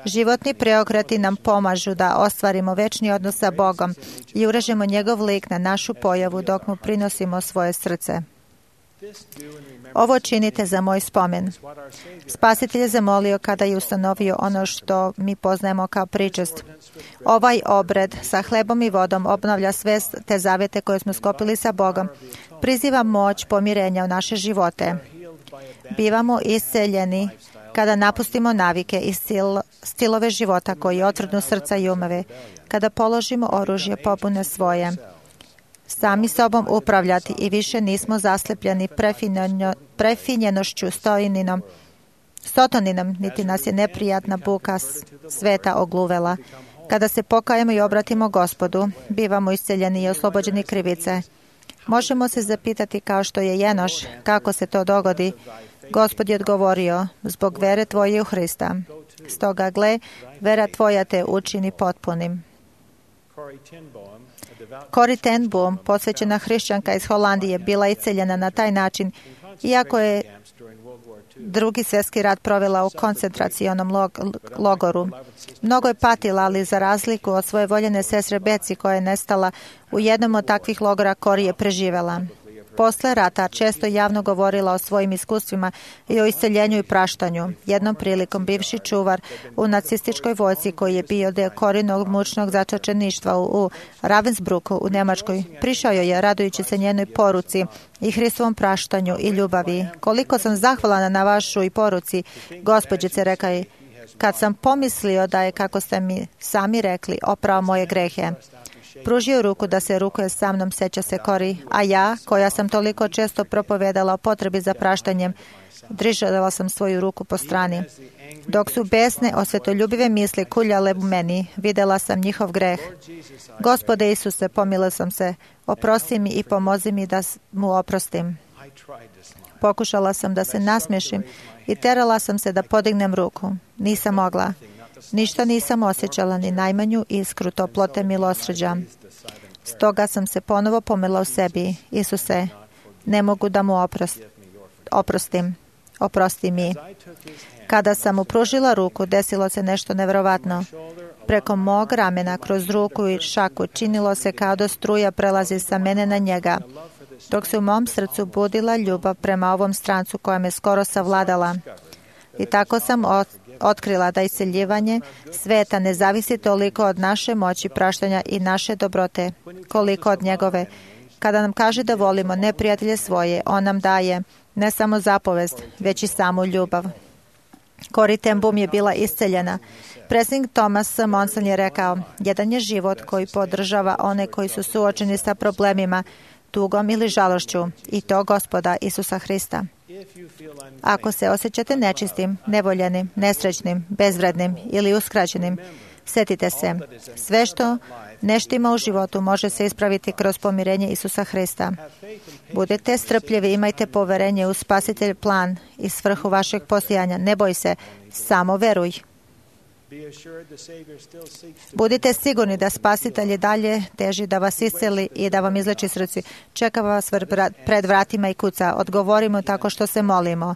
Životni preokreti nam pomažu da ostvarimo večni odnos sa Bogom i urežemo njegov lik na našu pojavu dok mu prinosimo svoje srce. Ovo činite za moj spomen. Spasitelj je zamolio kada je ustanovio ono što mi poznajemo kao pričest. Ovaj obred sa hlebom i vodom obnavlja sve te zavete koje smo skopili sa Bogom. Priziva moć pomirenja u naše živote. Bivamo isceljeni kada napustimo navike i stilove života koji otvrdnu srca i umove. Kada položimo oružje pobune svoje. Sami sobom upravljati i više nismo zaslepljeni prefinjenošću stotoninom, niti nas je neprijatna buka sveta ogluvela. Kada se pokajemo i obratimo Gospodu, bivamo isceljeni i oslobođeni krivice. Možemo se zapitati kao što je Jenoš, kako se to dogodi. Gospod je odgovorio, zbog vere tvoje u Hrista. Stoga gle, vera tvoja te učini potpunim. Corrie ten Boom, posvećena hrišćanka iz Holandije, bila isceljena na taj način, iako je Drugi svjetski rat provela u koncentracionom logoru. Mnogo je patila, ali za razliku od svoje voljene sestre Beci koja je nestala u jednom od takvih logora, Corrie je preživela. Posle rata često javno govorila o svojim iskustvima i o isceljenju i praštanju. Jednom prilikom bivši čuvar u nacističkoj vojsci koji je bio deo Corrienog mučnog zatočeništva u Ravensbrücku u Njemačkoj, prišao je radujući se njenoj poruci i Hristovom praštanju i ljubavi. Koliko sam zahvalna na vašoj poruci, gospođice, rekao je, kad sam pomislio da je, kako ste mi sami rekli, oprao moje grehe. Pružio ruku da se rukuje sa mnom, seća se Corrie, a ja, koja sam toliko često propovedala o potrebi za praštanjem, držala sam svoju ruku po strani. Dok su besne, osvetoljubive misli kuljale u meni, videla sam njihov greh. Gospode Isuse, pomilila sam se, oprosti mi i pomozi mi da mu oprostim. Pokušala sam da se nasmiješim i terala sam se da podignem ruku. Nisam mogla. Ništa nisam osjećala, ni najmanju iskru toplote milosrđa. Stoga sam se ponovo pomila u sebi. Isuse, ne mogu da mu oprostim. Oprosti mi. Kada sam mu pružila ruku, desilo se nešto nevjerovatno. Preko mog ramena, kroz ruku i šaku, činilo se kao da struja prelazi sa mene na njega, dok se u mom srcu budila ljubav prema ovom strancu koja me skoro savladala. I tako sam otkrila da isceljivanje sveta ne zavisi toliko od naše moći praštanja i naše dobrote, koliko od njegove. Kada nam kaže da volimo neprijatelje svoje, on nam daje ne samo zapovest, već i samu ljubav. Corrie ten Boom je bila isceljena. Predsjednik Thomas Monson je rekao, jedan je život koji podržava one koji su suočeni sa problemima, tugom ili žalošću, i to Gospoda Isusa Hrista. Ako se osjećate nečistim, nevoljenim, nesrećnim, bezvrednim ili uskraćenim, sjetite se, sve što neštima u životu može se ispraviti kroz pomirenje Isusa Hrista. Budite strpljivi, imajte poverenje u spasitelj plan i svrhu vašeg postojanja. Ne boj se, samo veruj. Budite sigurni da spasitelj dalje teži da vas isceli i da vam izleči srce. Čeka vas pred vratima i kuca. Odgovorimo tako što se molimo.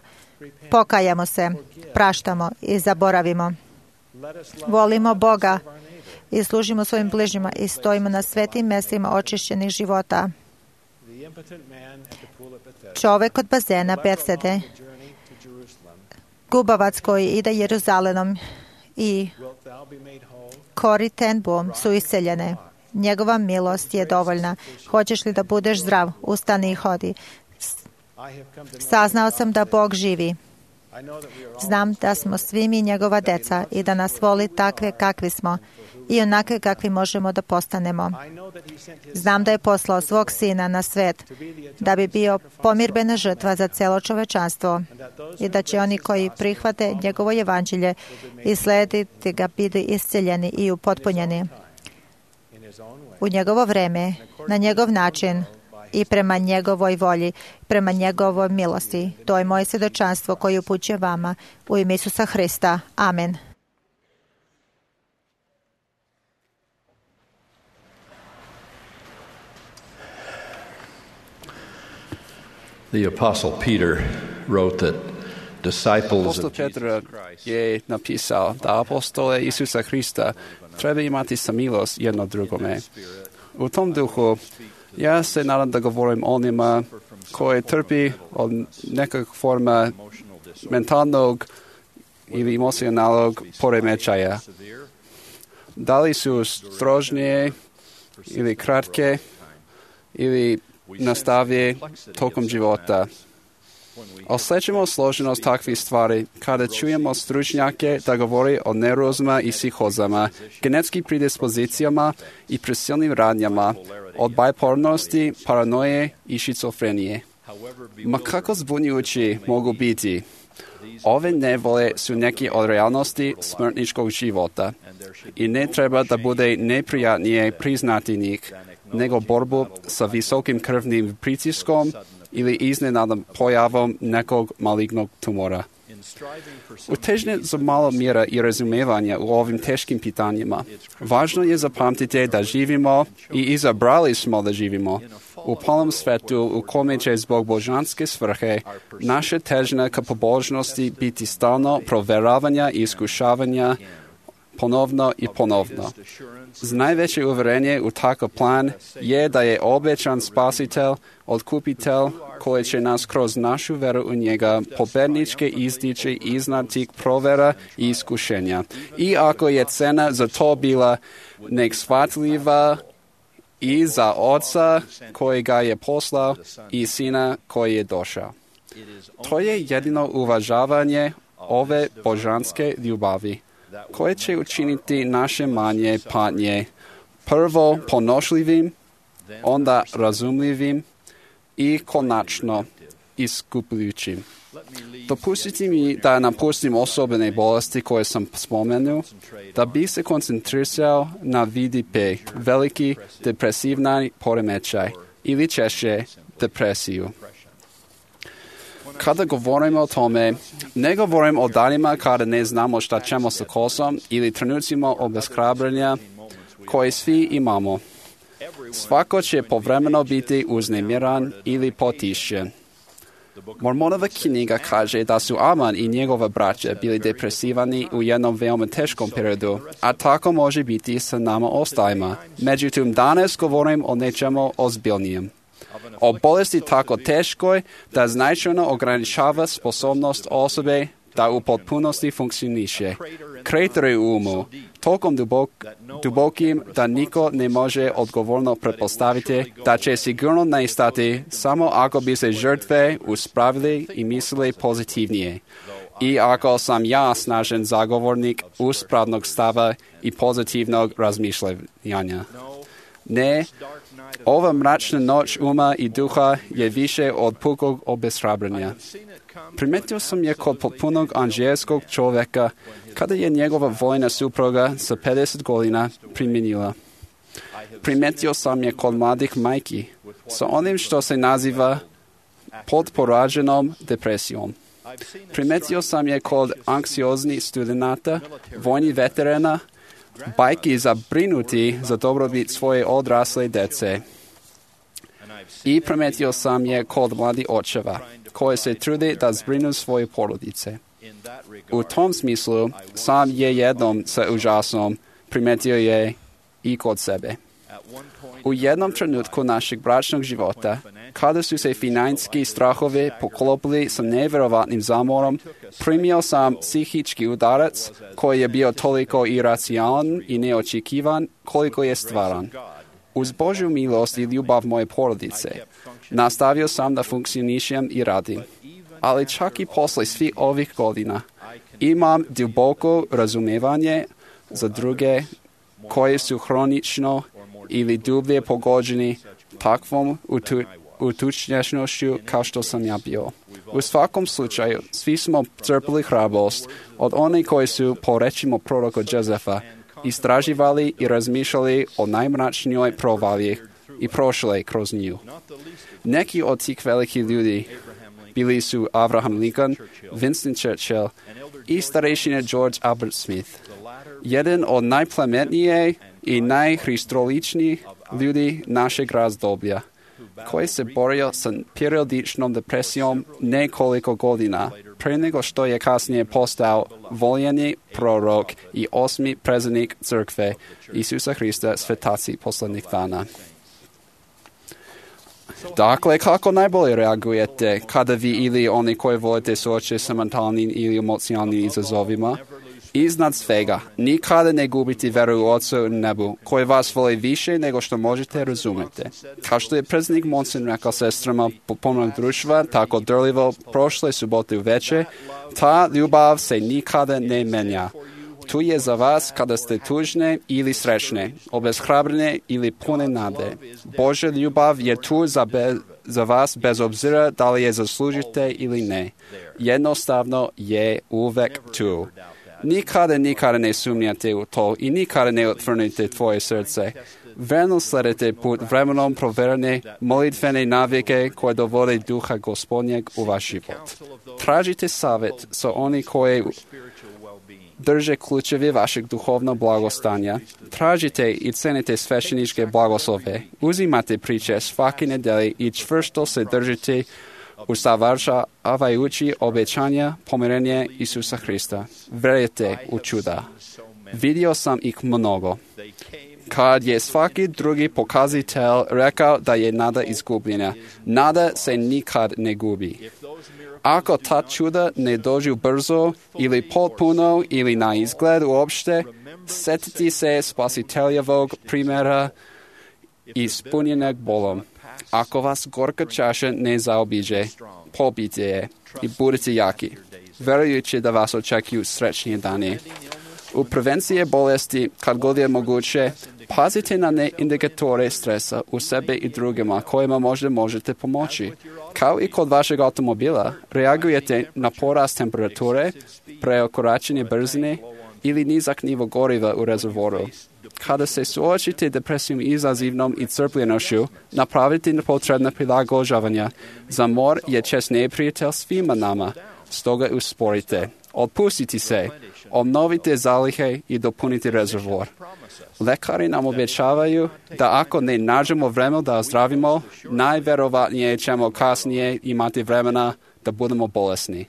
Pokajamo se, praštamo i zaboravimo. Volimo Boga i služimo svojim bližnjima i stojimo na svetim mjestima očišćenih života. Čovjek od bazena Betsede, gubavac koji ide Jeruzalemom i Corrie ten Boom su isceljene. Njegova milost je dovoljna. Hoćeš li da budeš zdrav? Ustani i hodi. Saznao sam da Bog živi. Znam da smo svi mi njegova deca i da nas voli takve kakvi smo i onakve kakvi možemo da postanemo. Znam da je poslao svog sina na svet da bi bio pomirbena žrtva za celo čovečanstvo i da će oni koji prihvate njegovo evanđelje i slediti ga biti isceljeni i upotpunjeni. U njegovo vreme, na njegov način i prema njegovoj volji, prema njegovoj milosti. To je moje svjedočanstvo koje upućujem vama u ime Isusa Hrista. Amen. The Apostle Peter wrote that disciples Apostol Petar je napisao da apostole Isusa Hrista treba imati samilost jedno drugome. U tom duhu ja se nadam da govorim onima koji trpi od nekog forma mentalnog ili emocionalnog poremećaja. Da li su strožnije ili kratke ili nastavije tokom života. Osjećamo složenost takvih stvari kada čujemo stručnjake da govori o neurozama i psihozama, genetskim predispozicijama i prisilnim radnjama, od bipolarnosti, paranoje i šizofrenije. Ma kako zbunjujući mogu biti? Ove nevole su neki od realnosti smrtničkog života i ne treba da bude neprijatnije priznati njih, nego borbu sa visokim krvnim pritiskom ili iznenadnom pojavom nekog malignog tumora. U težnji za malo mjera i razumevanja u ovim teškim pitanjima, važno je zapamtiti da živimo i izabrali smo da živimo u polnom svetu u kome će zbog božanske svrhe naše težnje ka pobožnosti biti stalno provjeravanja i iskušavanja ponovno i ponovno. Najveće uvjerenje u takav plan je da je obećan spasitelj, otkupitelj koji će nas kroz našu veru u njega pobednički izdići iznad tih provjera i iskušenja. I ako je cena za to bila neshvatljiva i za oca koji ga je poslao i sina koji je došao. To je jedino uvažavanje ove božanske ljubavi koje će učiniti naše manje patnje prvo ponošljivim, onda razumljivim i konačno iskupljujućim. Dopustite mi da napustim osobne bolesti koje sam spomenuo, da bi se koncentrirao na VDP, veliki depresivni poremećaj ili češće depresiju. Kada govorimo o tome, ne govorim o danima kada ne znamo šta ćemo sa kosom ili trenucima obeshrabrenja koje svi imamo. Svako će povremeno biti uznemiran ili potišćen. Mormonova knjiga kaže da su Aman i njegova braća bili depresivani u jednom veoma teškom periodu, a tako može biti sa nama ostajima. Međutim, danas govorim o nečemu ozbiljnijem. O bolesti tako teškoj da značajno ograničava sposobnost osobe da u potpunosti funkcioniše. Krater u umu, tokom dubokim da niko ne može odgovorno pretpostaviti da će sigurno nestati samo ako bi se žrtve uspravili i mislili pozitivnije. I ako sam ja snažen zagovornik uspravnog stava i pozitivnog razmišljanja. Ne, ova mračna noć uma i duha je više od pukog obeshrabrenja. Primetio sam je kod potpunog anđelskog čovjeka kada je njegova vojna supruga sa 50 godina primjenila. Primetio sam je kod mladih majki sa onim što se naziva podporađenom depresijom. Primetio sam je kod anksioznih studenata, vojnih veterana, bajki zabrinuti za dobrobit svoje odrasle dece. I primetio sam je kod mladih očeva, koji se trude da zbrinu svoje porodice. U tom smislu, sam je jednom sa užasom primetio je i kod sebe. U jednom trenutku našeg bračnog života, kada su se financijski strahovi poklopili sa nevjerovatnim zamorom, primio sam psihički udarac koji je bio toliko iracionalan i neočekivan koliko je stvaran. Uz Božju milost i ljubav moje porodice, nastavio sam da funkcionišem i radim. Ali čak i posle svih ovih godina, imam duboko razumevanje za druge koji su hronično ili dublje pogođeni takvom utučnješnošću kao što sam ja bio. U svakom slučaju, svi smo crpili hrabrost od onih koji su, po rečima proroka Jozefa, istraživali i razmišljali o najmračnijoj provalji i prošli kroz nju. Neki od tih velikih ljudi bili su Abraham Lincoln, Winston Churchill i starešina George Albert Smith. Jedan od najplemenije i najhristoličnijih ljudi našeg razdoblja, koji se borio sa periodičnom depresijom nekoliko godina, pre nego što je kasnije postao voljeni prorok i 8. predsjednik crkve Isusa Hrista svetaci poslednjih dana. Dakle, kako najbolje reagujete kada vi ili oni koji volite suočiti sa mentalnim ili emocionalnim izazovima? Iznad svega, nikada ne gubiti veru u Oca u nebu, koji vas voli više nego što možete razumjeti. Kao što je predsjednik Monson rekao sestrama potpunog društva, tako drljivo prošle subote uveče, ta ljubav se nikada ne menja. Tu je za vas kada ste tužne ili srećne, obeshrabrene ili pune nade. Božja ljubav je tu za vas bez obzira da li je zaslužite ili ne. Jednostavno je uvek tu. Nikada ne sumnjate u to i nikada ne otvrnite tvoje srce. Verno sledite put vremenom proverene molitvene navike koje dovode duha Gospodnjeg u vaš život. Tražite savjet sa oni koji drže ključevi vašeg duhovnog blagostanja. Tražite i cenite svešteničke blagoslove. Uzimate priče svake nedelje i čvrsto se držite usavršavajući obećanja pomirenja Isusa Hrista. Verujte u čuda. Vidio sam ih mnogo. Kad je svaki drugi pokazatelj rekao da je nada izgubljena, nada se nikad ne gubi. Ako ta čuda ne dođu brzo ili potpuno ili na izgled uopšte, setiti se spasiteljevog primjera ispunjenog bolom. Ako vas gorka čaša ne zaobiđe, popijte je i budite jaki, verujući da vas očekuju srećnije dane. U prevenciji bolesti, kad god je moguće, pazite na indikatore stresa u sebe i drugima kojima možda možete pomoći. Kao i kod vašeg automobila, reagujete na porast temperature, prekoračenje brzine ili nizak nivo goriva u rezervoru. Kada se suočite depresijom izazivnom i crpljenošću, napravite potrebna prilagođavanja. Zamor je čest neprijatelj svima nama, stoga usporite. Otpustite se, obnovite zalihe i dopunite rezervor. Lekari nam obećavaju da ako ne nađemo vremena da ozdravimo, najverovatnije ćemo kasnije imati vremena da budemo bolesni.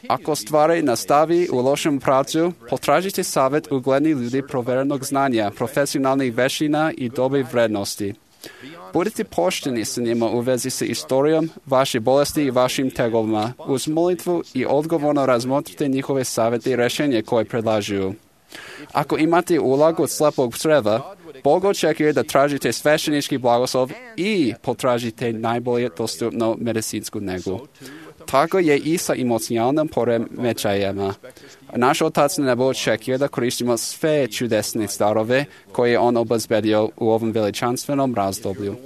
Ako stvari nastavi u lošem pravcu, potražite savjet uglednih ljudi proverenog znanja, profesionalnih veština i dobre vrednosti. Budite pošteni sa njima u vezi sa istorijom vaše bolesti i vašim tegovima. Uz molitvu i odgovorno razmotrite njihove savjete i rješenje koje predlažu. Ako imate ulogu od slepog creva, Bog očekuje da tražite sveštenički blagoslov i potražite najbolje dostupnu medicinsku negu. Tako je i sa emocionalnim poremećajima. Naš Otac na nebu očekuje da koristimo sve čudesne darove koje je On obezbedio u ovom veličanstvenom razdoblju.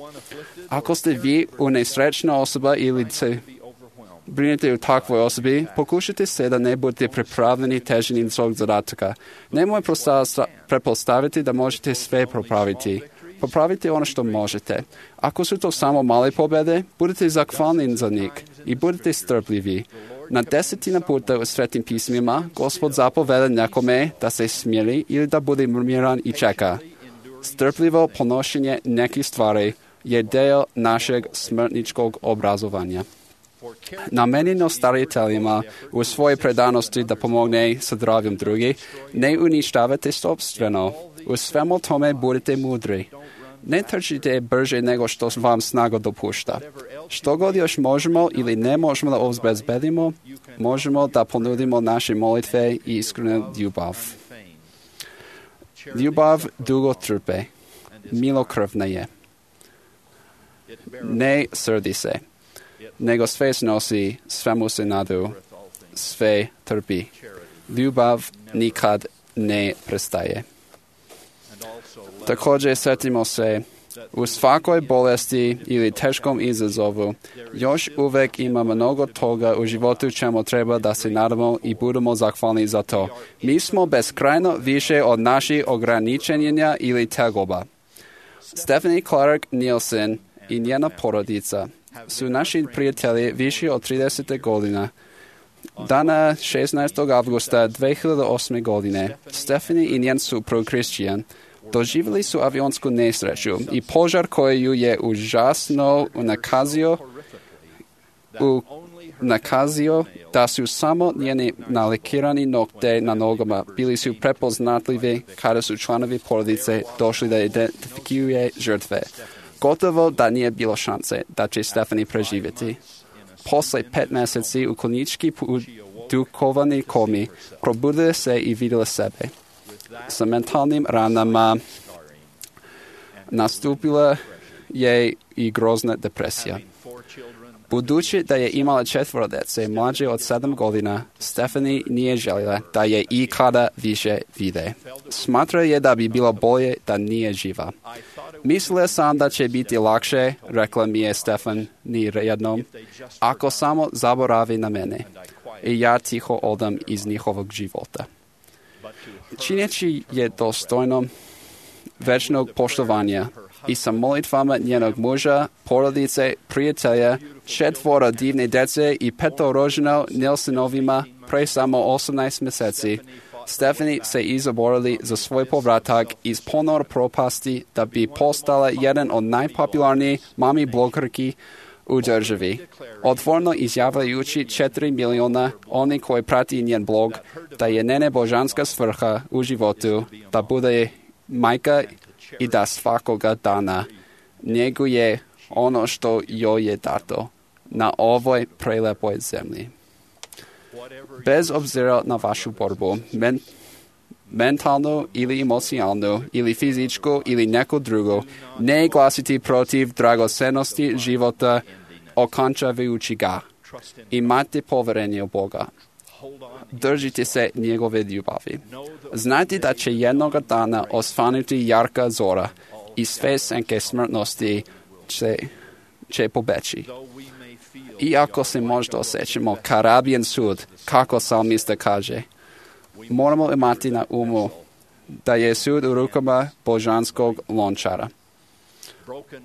Ako ste vi nesrećna osoba ili se brinete u takvoj osobi, pokušajte se da ne budete pripravljeni težinom svog zadataka. Nemoj pretpostaviti da možete sve popraviti. Popravite ono što možete. Ako su to samo male pobjede, budite zahvalni za njih i budite strpljivi. Na 10 puta u Svetim pismima Gospod zapoveda nekome da se smiri ili da bude miran i čeka. Strpljivo ponošenje nekih stvari je deo našeg smrtničkog obrazovanja. Namenjeno stariteljima u svojoj predanosti da pomogne sa zdravljem drugih, ne uništavate sopstveno. U svemu tome budite mudri. Ne trčite brže nego što vam snaga dopušta. Što god još možemo ili ne možemo da obezbedimo, možemo da ponudimo naše molitve i iskrenu ljubav. Ljubav dugo trpe, milokrvna je. Ne srdi se, nego sve snosi, svemu se nadu, sve trpi. Ljubav nikad ne prestaje. Također sjetimo se, u svakoj bolesti ili teškom izazovu još uvijek ima mnogo toga u životu čemu treba da se nadamo i budemo zahvalni za to. Mi smo beskrajno više od naših ograničenja ili tegoba. Stephanie Clark Nielsen i njena porodica su naši prijatelji više od 30 godina. Dana 16. avgusta 2008. godine Stephanie i njen suprug Christian doživjeli su avionsku nesreću i požar koju je užasno nakazio da su samo njeni nalikirani nokte na nogama bili su prepoznatljivi kada su članovi porodice došli da identifikuje žrtve. Gotovo da nije bilo šanse da će Stephanie preživjeti. Posle 5 mjeseci u klinički duhovani komi probudila se i vidjela sebe. Sa mentalnim ranama nastupila je i grozna depresija. Budući da je imala 4 djece mlađe od 7 godina, Stephanie nije željela da je ikada više vide. Smatra je da bi bilo bolje da nije živa. Mislila sam da će biti lakše, rekla mi je Stephanie jednom, ako samo zaboravi na mene i ja tiho odam iz njihovog života. Čineći je dostojno večnog poštovanja i sa molitvama njenog muža, porodice, prijatelja, 4 divne djece i 5 rođeno Nilsenovima pre samo 18 mjeseci, Stephanie se izaborili za svoj povratak iz ponor propasti da bi postala jedan od najpopularnijih mami blogerki u državi. Otvorno izjavljujući 4 miliona oni koji prati njen blog da je njena božanska svrha u životu da bude majka i da svakoga dana njeguje ono što joj je dato na ovoj prelepoj zemlji. Bez obzira na vašu borbu, mentalnu ili emocionalnu ili fizičku ili neku drugu, ne glasiti protiv dragocenosti života okončavajući ga. Imate poverenje u Boga. Držite se njegove ljubavi. Znajte da će jednoga dana osvanuti jarka zora i sve senke smrtnosti će pobeći. Iako se možda osjećamo karabijen sud, kako psalmista kaže, moramo imati na umu da je sud u rukama božanskog lončara.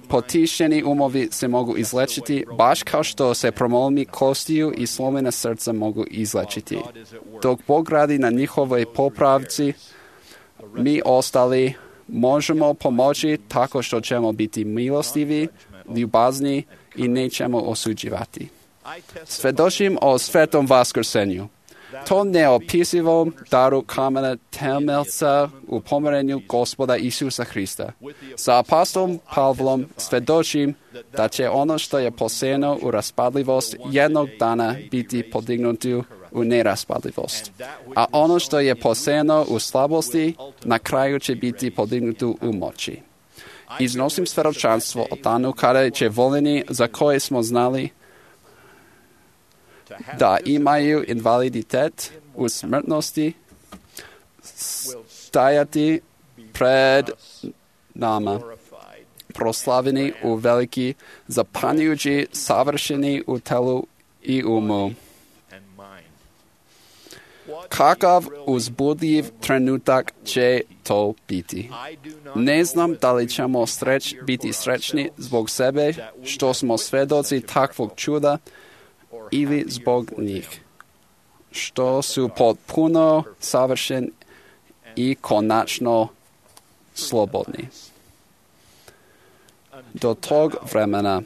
Potišeni umovi se mogu izlečiti, baš kao što se promolni kostiju i slomljena srca mogu izlečiti. Dok Bog radi na njihovoj popravci, mi ostali možemo pomoći tako što ćemo biti milostivi, ljubazni i nećemo osuđivati. Svedočim o svetom vaskrsenju. To neopisivom daru kamena temeljca u pomirenju Gospoda Isusa Hrista. Sa apostolom Pavlom svedočim da će ono što je posejano u raspadljivost jednog dana biti podignuto u neraspadljivost. A ono što je posejano u slabosti na kraju će biti podignuto u moći. Iznosim svjedočanstvo o danu kada će voljeni za koje smo znali da imaju invaliditet u smrtnosti, stajati pred nama, proslavljeni u veliki, zapanjujući, savršeni u telu i umu. Kakav uzbudljiv trenutak će to biti. Ne znam da li ćemo biti srećni zbog sebe što smo svedoci takvog čuda ili zbog njih, što su potpuno savršeni i konačno slobodni. Do tog vremena,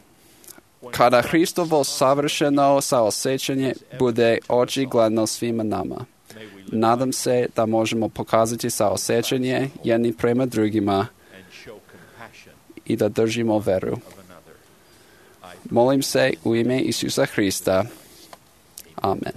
kada Hristovo savršeno saosjećanje bude očigledno svima nama, nadam se da možemo pokazati saosjećanje jedni prema drugima i da držimo veru. Molim se u ime Isusa Hrista. Amen.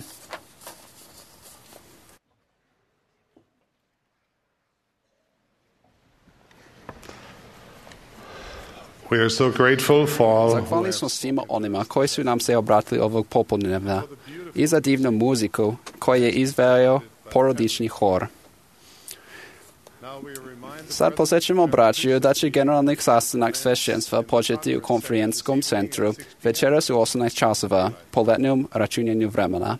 We are so grateful for all Zahvalni smo svima onima koji su nam se obratili ovog popodnevna i za divnu muziku koju je izveo porodični hor. Sad posjećamo braću da će generalni sastanak svešćenstva početi u konferencijskom centru večeras u 18 časova po letnjem računanju vremena.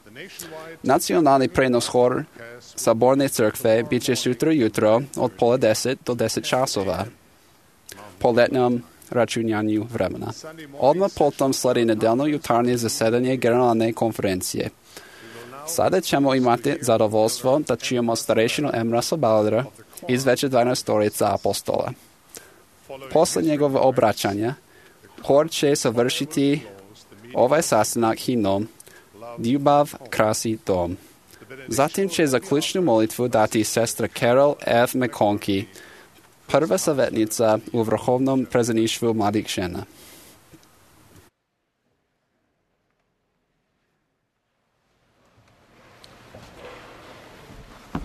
Nacionalni prenos hor Saborne crkve bit će sutra jutro od 9:30 do 10 časova po letnjem računanju vremena. Odmah potom sledi nedeljno jutarnje zasedanje generalne konferencije. Sada ćemo imati zadovoljstvo da čujemo starešinu Emrasa Balladera iz Veće 12 apostola. Posle njegove obraćanja, hor će završiti ovaj sastanak himnom Ljubav krasi dom. Zatim će zaključnu molitvu dati sestra Carol F. McConkie, prva savjetnica u Vrhovnom predsjedništvu mladih žena.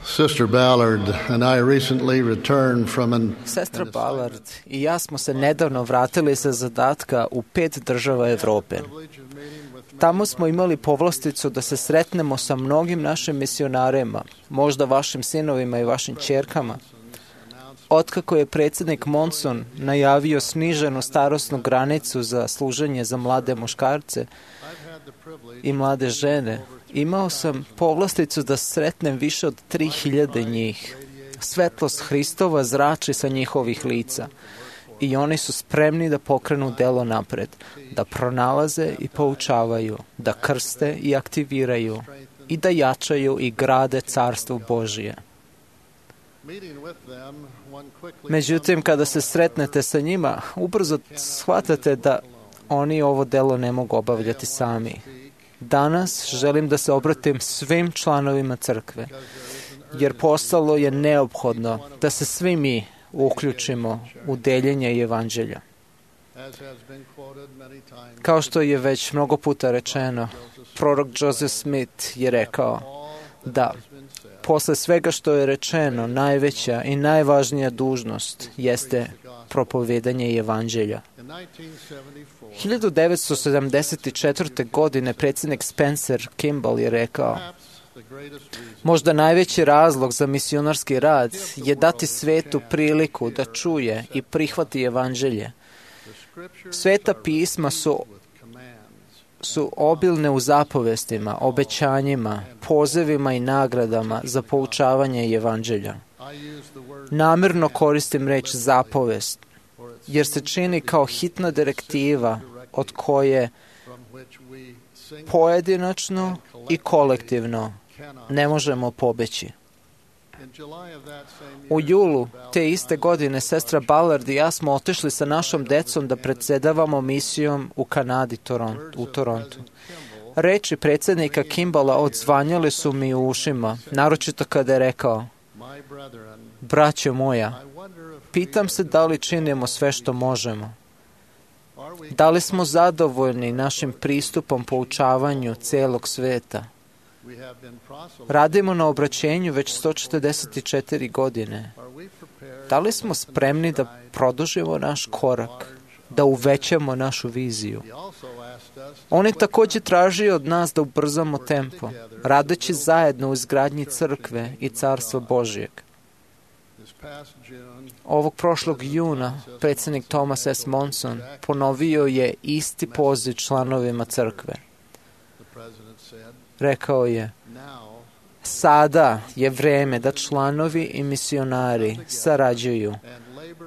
Sister Ballard and I recently returned from an Sestra Ballard i ja smo se nedavno vratili sa zadatka u 5 država Evrope. Tamo smo imali povlasticu da se sretnemo sa mnogim našim misionarima, možda vašim sinovima i vašim ćerkama. Otkako je predsjednik Monson najavio sniženu starosnu granicu za služenje za mlade muškarce i mlade žene, imao sam povlasticu da sretnem više od 3000 njih. Svetlost Hristova zrači sa njihovih lica i oni su spremni da pokrenu delo napred, da pronalaze i poučavaju, da krste i aktiviraju i da jačaju i grade Carstvo Božije. Međutim, kada se sretnete sa njima, ubrzo shvatate da oni ovo delo ne mogu obavljati sami. Danas želim da se obratim svim članovima crkve, jer postalo je neophodno da se svi mi uključimo u deljenje evanđelja. Kao što je već mnogo puta rečeno, prorok Joseph Smith je rekao da posle svega što je rečeno, najveća i najvažnija dužnost jeste propovedanje evanđelja. 1974. godine predsjednik Spencer Kimball je rekao: možda najveći razlog za misionarski rad je dati svetu priliku da čuje i prihvati evanđelje. Sveta pisma su obilne u zapovestima, obećanjima, pozivima i nagradama za poučavanje evanđelja. Namjerno koristim reč zapovest, jer se čini kao hitna direktiva od koje pojedinačno i kolektivno ne možemo pobeći. U julu te iste godine sestra Ballard i ja smo otišli sa našom decom da predsjedavamo misijom u Kanadi, u Torontu. Reči predsjednika Kimballa odzvanjale su mi u ušima, naročito kada je rekao: braćo moja, pitam se da li činimo sve što možemo. Da li smo zadovoljni našim pristupom poučavanju celog sveta? Radimo na obraćenju već 144 godine. Da li smo spremni da produžimo naš korak da uvećamo našu viziju. On je također tražio od nas da ubrzamo tempo, radeći zajedno u izgradnji crkve i carstva Božijeg. Ovog prošlog juna predsjednik Thomas S. Monson ponovio je isti poziv članovima crkve. Rekao je: sada je vreme da članovi i misionari sarađuju,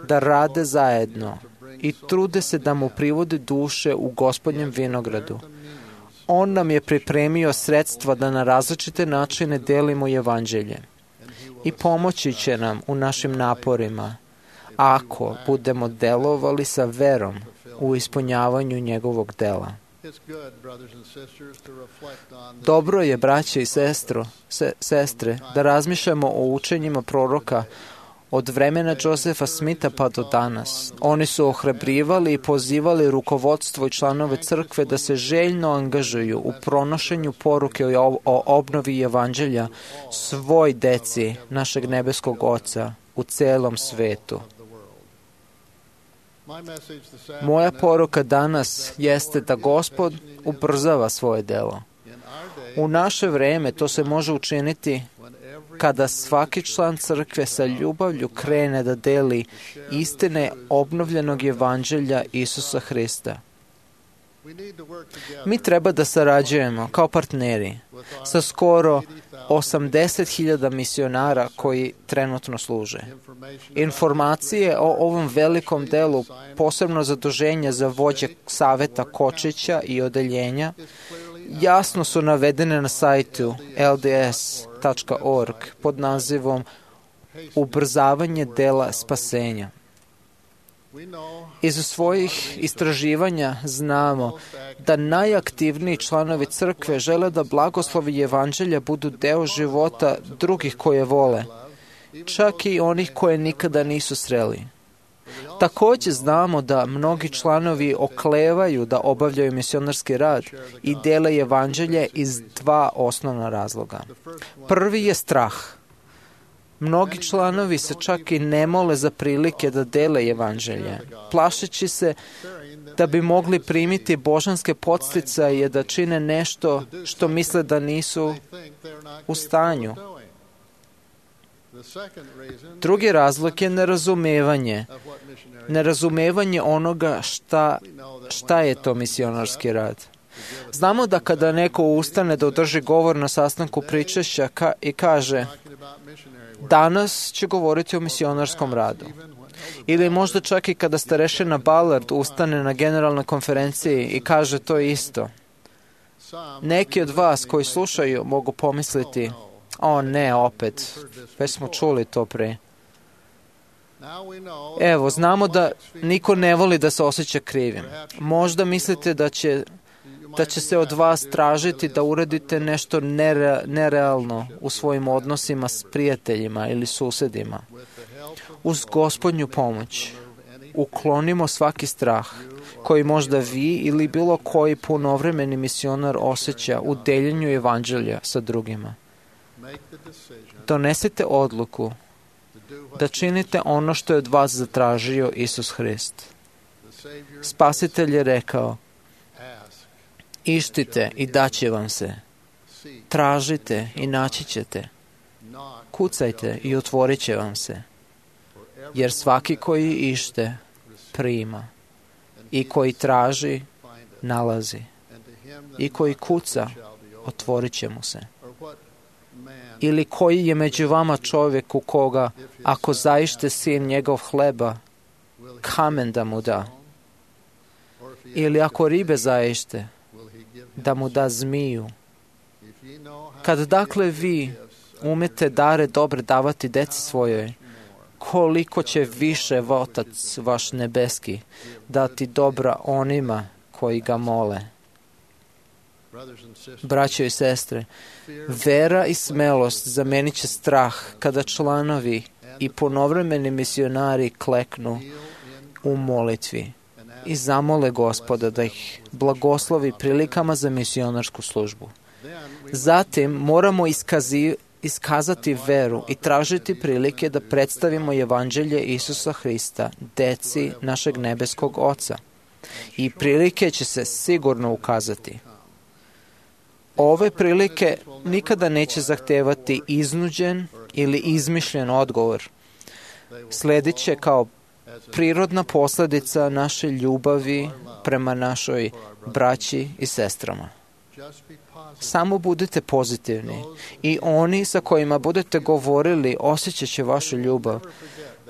da rade zajedno i trude se da mu privode duše u Gospodnjem vinogradu. On nam je pripremio sredstva da na različite načine delimo evanđelje i pomoći će nam u našim naporima ako budemo delovali sa verom u ispunjavanju njegovog dela. Dobro je, braće i sestre, da razmišljamo o učenjima proroka od vremena Josefa Smitha pa do danas. Oni su ohrabrivali i pozivali rukovodstvo i članove crkve da se željno angažuju u pronošenju poruke o obnovi evanđelja svoj deci našeg nebeskog Oca u celom svetu. Moja poruka danas jeste da Gospod ubrzava svoje delo. U naše vreme to se može učiniti kada svaki član crkve sa ljubavlju krene da deli istine obnovljenog evanđelja Isusa Hrista. Mi treba da sarađujemo kao partneri sa skoro 80.000 misionara koji trenutno služe. Informacije o ovom velikom delu, posebno zaduženja za vođe saveta Kočića i odeljenja, jasno su navedene na sajtu lds.org pod nazivom Ubrzavanje dela spasenja. Iz svojih istraživanja znamo da najaktivniji članovi crkve žele da blagoslovi evanđelja budu deo života drugih koje vole, čak i onih koje nikada nisu sreli. Također znamo da mnogi članovi oklevaju da obavljaju misionarski rad i dele evanđelje iz dva osnovna razloga. Prvi je strah. Mnogi članovi se čak i ne mole za prilike da dele evanđelje, plašeći se da bi mogli primiti božanske podsticaje da čine nešto što misle da nisu u stanju. Drugi razlog je nerazumevanje. Nerazumevanje onoga šta je to misionarski rad. Znamo da kada neko ustane da održi govor na sastanku pričešća i kaže: danas će govoriti o misionarskom radu. Ili možda čak i kada starešina Ballard ustane na generalnoj konferenciji i kaže to isto. Neki od vas koji slušaju mogu pomisliti: o ne, opet, već smo čuli to pre. Evo, znamo da niko ne voli da se osjeća krivim. Možda mislite da će se od vas tražiti da uradite nešto nerealno u svojim odnosima s prijateljima ili susedima. Uz Gospodnju pomoć uklonimo svaki strah koji možda vi ili bilo koji punovremeni misionar osjeća u deljenju evanđelja sa drugima. Donesite odluku da činite ono što je od vas zatražio Isus Hrist. Spasitelj je rekao: ištite i daće vam se. Tražite i naći ćete. Kucajte i otvorit će vam se. Jer svaki koji ište, prima. I koji traži, nalazi. I koji kuca, otvorit će mu se. Ili koji je među vama čovjek u koga, ako zaište sin njegov hleba, kamen da mu da? Ili ako ribe zaište, da mu da zmiju? Kad dakle vi umete dare dobre davati deci svojoj, koliko će više Otac vaš nebeski dati dobra onima koji ga mole. Braćo i sestre, vera i smelost zamenit će strah kada članovi i ponovremeni misionari kleknu u molitvi i zamole Gospoda da ih blagoslovi prilikama za misionarsku službu. Zatim moramo iskazati veru i tražiti prilike da predstavimo evanđelje Isusa Hrista deci našeg nebeskog Oca. i prilike će se sigurno ukazati. Ove prilike nikada neće zahtevati iznuđen ili izmišljen odgovor. Sledit će kao prirodna posljedica naše ljubavi prema našoj braći i sestrama. Samo budite pozitivni i oni sa kojima budete govorili osjećat će vašu ljubav.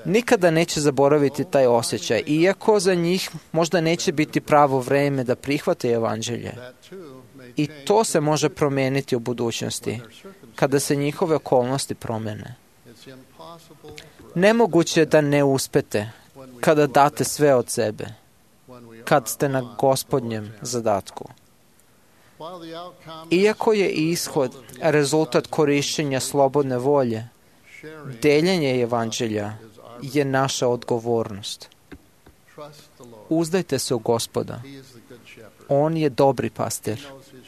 Nikada neće zaboraviti taj osjećaj, iako za njih možda neće biti pravo vreme da prihvate evanđelje. I to se može promijeniti u budućnosti, kada se njihove okolnosti promene. Nemoguće je da ne uspete kada date sve od sebe, kad ste na Gospodnjem zadatku. Iako je ishod rezultat korišćenja slobodne volje, deljenje evanđelja je naša odgovornost. Uzdajte se u Gospoda. On je dobri pastir.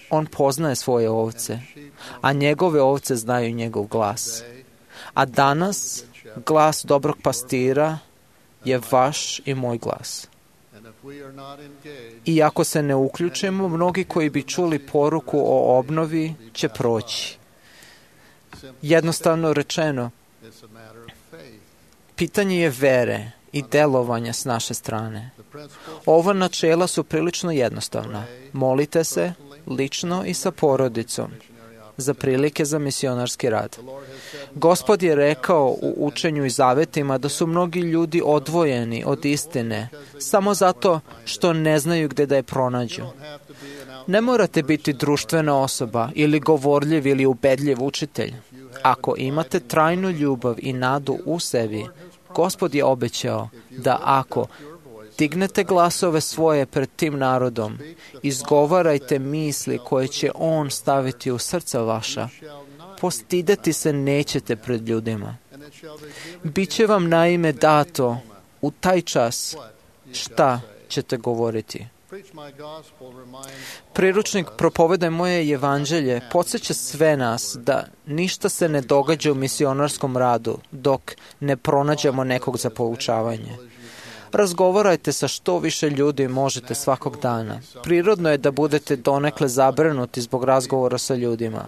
On poznaje svoje ovce, a njegove ovce znaju njegov glas. A danas glas dobrog pastira je vaš i moj glas. I ako se ne uključimo, mnogi koji bi čuli poruku o obnovi će proći. Jednostavno rečeno, pitanje je vere i delovanja s naše strane. Ova načela su prilično jednostavna. Molite se lično i sa porodicom za prilike za misionarski rad. Gospod je rekao u učenju i zavetima da su mnogi ljudi odvojeni od istine samo zato što ne znaju gdje da je pronađu. Ne morate biti društvena osoba ili govorljiv ili ubedljiv učitelj. Ako imate trajnu ljubav i nadu u sebi, Gospod je obećao da ako dignete glasove svoje pred tim narodom, izgovarajte misli koje će On staviti u srca vaša, postideti se nećete pred ljudima. Biće vam naime dato u taj čas šta ćete govoriti. Priručnik Propovedaj moje evanđelje podsjeća sve nas da ništa se ne događa u misionarskom radu dok ne pronađemo nekog za poučavanje. Razgovarajte sa što više ljudi možete svakog dana. Prirodno je da budete donekle zabrinuti zbog razgovora sa ljudima,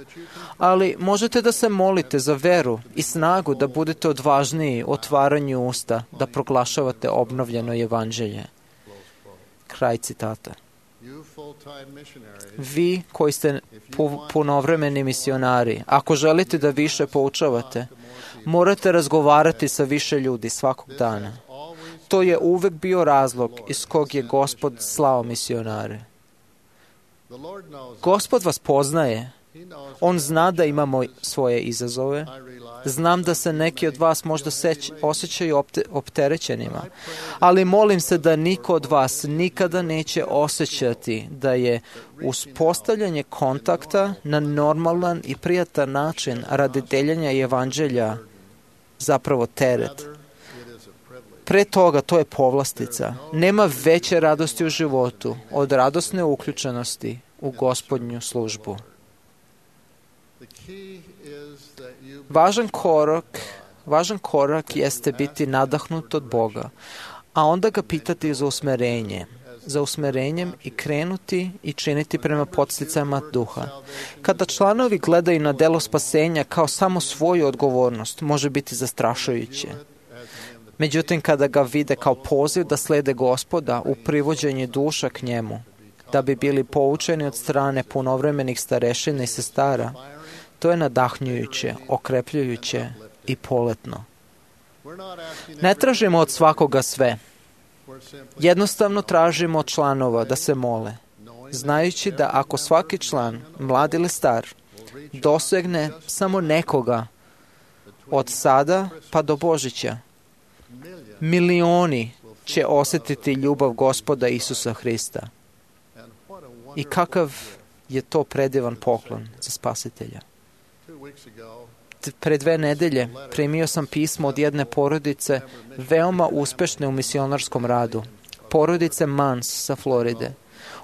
ali možete da se molite za veru i snagu da budete odvažniji u otvaranju usta, da proglašavate obnovljeno evanđelje. Kraj citata. Vi koji ste punovremeni misionari, ako želite da više poučavate, morate razgovarati sa više ljudi svakog dana. To je uvek bio razlog iz kog je Gospod slao misionare. Gospod vas poznaje. On zna da imamo svoje izazove. Znam da se neki od vas možda osjećaju opterećenima, ali molim se da niko od vas nikada neće osjećati da je uspostavljanje kontakta na normalan i prijatan način radi deljenja evanđelja zapravo teret. Pre toga to je povlastica. Nema veće radosti u životu od radosne uključenosti u Gospodnju službu. Važan korak jeste biti nadahnut od Boga, a onda ga pitati za usmerenjem i krenuti i činiti prema podsticajima duha. Kada članovi gledaju na delo spasenja kao samo svoju odgovornost, može biti zastrašujuće. Međutim, kada ga vide kao poziv da slede Gospoda u privođenje duša k njemu, da bi bili poučeni od strane punovremenih starešina i sestara, to je nadahnjujuće, okrepljujuće i poletno. Ne tražimo od svakoga sve. Jednostavno tražimo od članova da se mole, znajući da ako svaki član, mlad ili star, dosegne samo nekoga od sada pa do Božića, milioni će osjetiti ljubav Gospoda Isusa Hrista. I kakav je to predivan poklon za spasitelja. Pre 2 nedelje primio sam pismo od jedne porodice veoma uspešne u misionarskom radu. Porodice Mans sa Floride.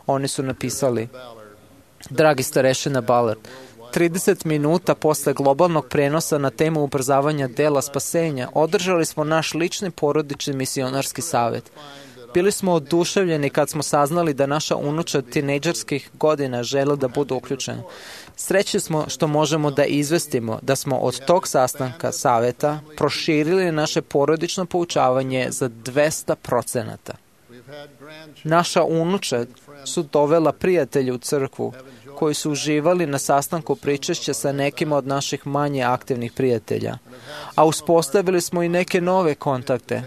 Oni su napisali: Dragi starešina Ballard, 30 minuta posle globalnog prenosa na temu ubrzavanja dela spasenja održali smo naš lični porodični misionarski savet. Bili smo oduševljeni kad smo saznali da naša unučad tinejdžerskih godina žele da budu uključena. Srećni smo što možemo da izvestimo da smo od tog sastanka saveta proširili naše porodično poučavanje za 200%. Naša unučad su dovela prijatelje u crkvu koji su uživali na sastanku pričešća sa nekima od naših manje aktivnih prijatelja, a uspostavili smo i neke nove kontakte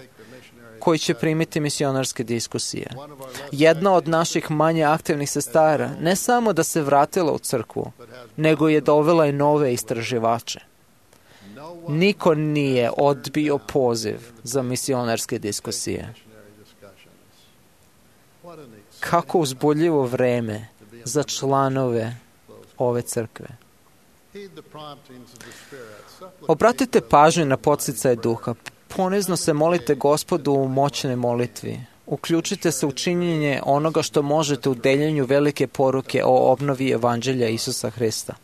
koji će primiti misionarske diskusije. Jedna od naših manje aktivnih sestara ne samo da se vratila u crkvu, nego je dovela i nove istraživače. Niko nije odbio poziv za misionarske diskusije. Kako uzbudljivo vreme za članove ove crkve. Obratite pažnju na podsticaje duha. Ponizno se molite Gospodu u moćnoj molitvi. Uključite se u činjenje onoga što možete u deljenju velike poruke o obnovi evanđelja Isusa Hrista.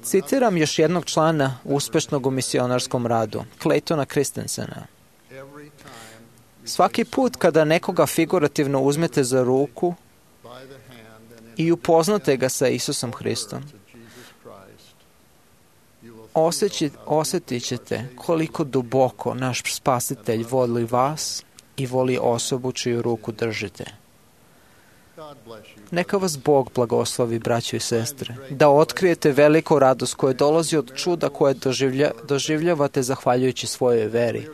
Citiram još jednog člana uspešnog u misionarskom radu, Claytona Christensena. Svaki put kada nekoga figurativno uzmete za ruku i upoznate ga sa Isusom Hristom, osjetit ćete koliko duboko naš Spasitelj voli vas i voli osobu čiju ruku držite. Neka vas Bog blagoslovi, braćo i sestre, da otkrijete veliku radost koja dolazi od čuda koje doživljavate zahvaljujući svojoj veri.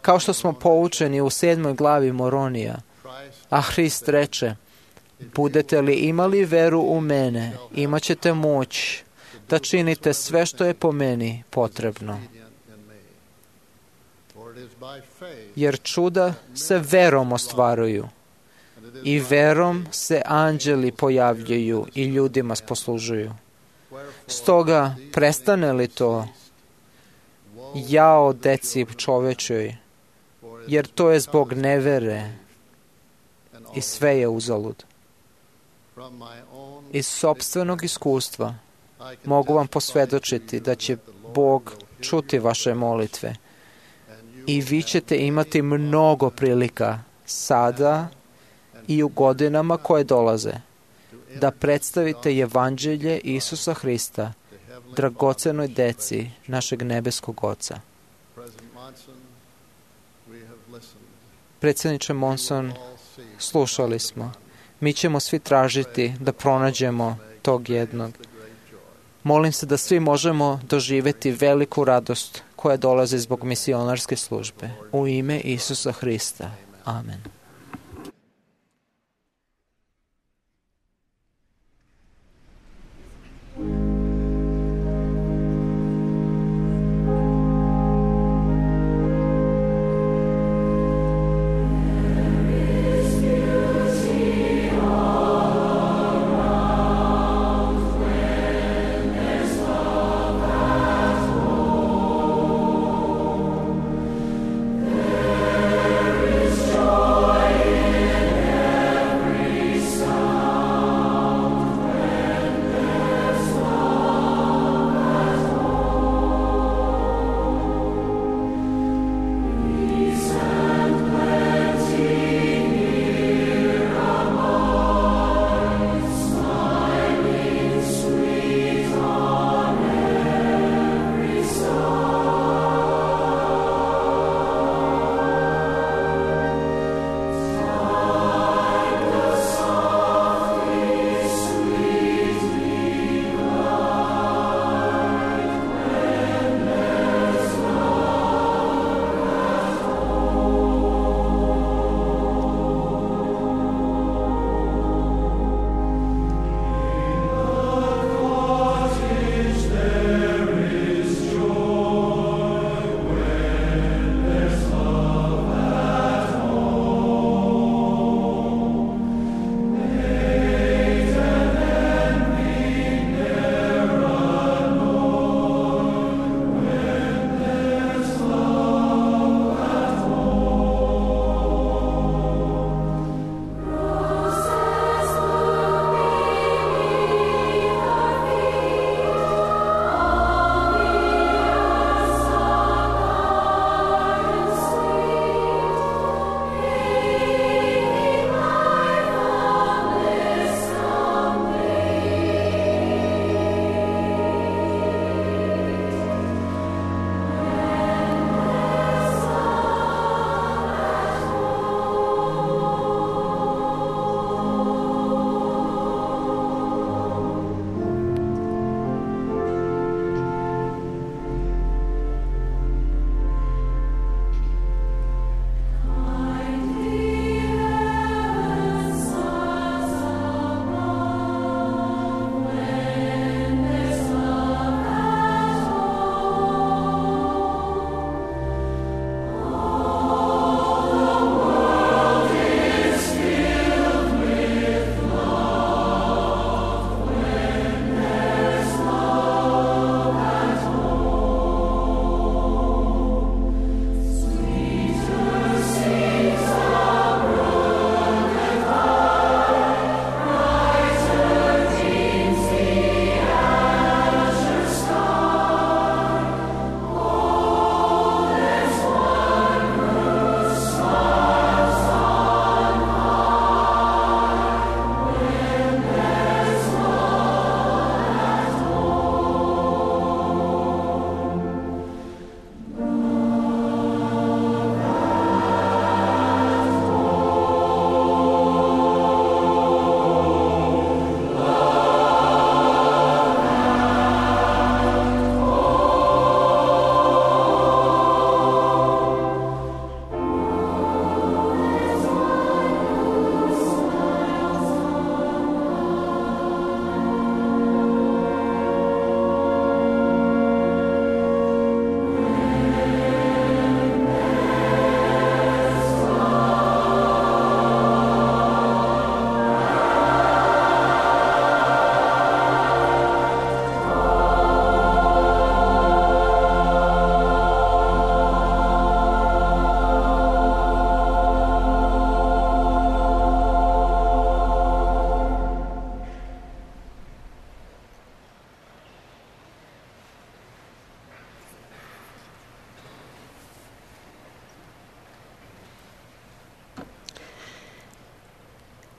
Kao što smo poučeni u 7. glavi Moronija, a Hrist reče, budete li imali veru u mene, imat ćete moć da činite sve što je po meni potrebno. Jer čuda se verom ostvaruju i verom se anđeli pojavljuju i ljudima poslužuju. Stoga, prestane li to, jao deci čovečoj, jer to je zbog nevere i sve je uzalud. Iz sopstvenog iskustva mogu vam posvjedočiti da će Bog čuti vaše molitve i vi ćete imati mnogo prilika sada i u godinama koje dolaze da predstavite evanđelje Isusa Hrista dragocenoj deci našeg nebeskog Oca. Predsjedniče Monson, slušali smo. Mi ćemo svi tražiti da pronađemo tog jednog. Molim se da svi možemo doživjeti veliku radost koja dolazi zbog misionarske službe. U ime Isusa Hrista. Amen. Joy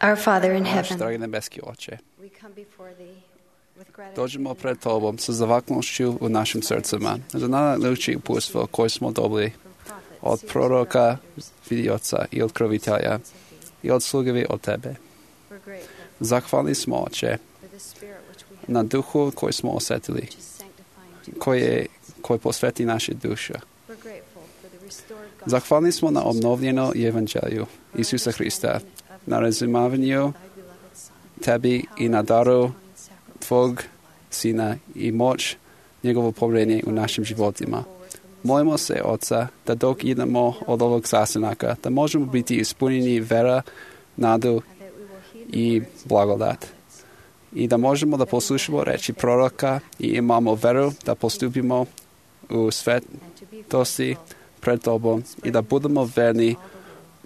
Our Father in Naš heaven, dragi nebeski Oče, we come before thee with gratitude. dođemo pred Tobom sa zavaknušću u našim srcima za najljepše uputstvo koje smo dobili od proroka, vidioca i otkrovitelja i od slugevi od Tebe. Zahvalni smo, Oče, na duhu koji smo osjetili, koji posveti naše duše. Zahvalni smo na obnovljeno evanđelju Isusa Hrista, na razumavanju Tebi i na daru Tvog Sina i moć njegovo povjerenje u našim životima. Molimo se, Oca, da dok idemo od ovog sastanaka, da možemo biti ispunjeni vera, nadu i blagodat. I da možemo da poslušamo reči proroka i imamo veru da postupimo u svetosti pred Tobom i da budemo verni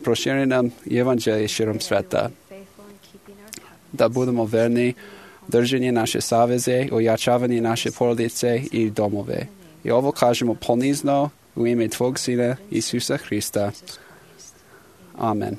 proširenom evanđelju širom sveta. Da budemo verni držanje naše saveze, ojačavanje naše porodice i domove. I ovo kažemo ponizno u ime Tvog Sina Isusa Hrista. Amen.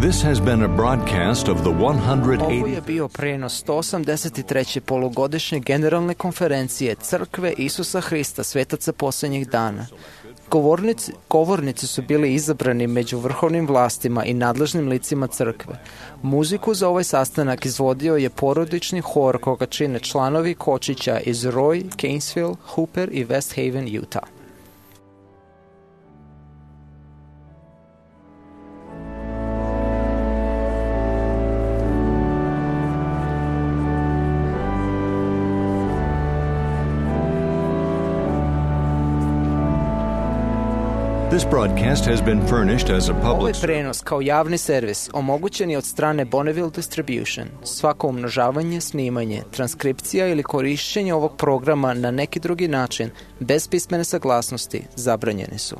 This has been a broadcast of the Ovo 180th je bio prenos 183. polugodišnje generalne konferencije Crkve Isusa Hrista svetaca posljednjih dana. Govornici su bili izabrani među vrhovnim vlastima i nadležnim licima crkve. Muziku za ovaj sastanak izvodio je porodični hor koga čine članovi kočića iz Roy, Gainesville, Hooper i West Haven, Utah. This broadcast has been furnished as a Ovaj public prenos kao javni servis omogućen je od strane Bonneville Distribution. Svako umnožavanje, snimanje, transkripcija ili korišćenje ovog programa na neki drugi način, bez pismene saglasnosti, zabranjeni su.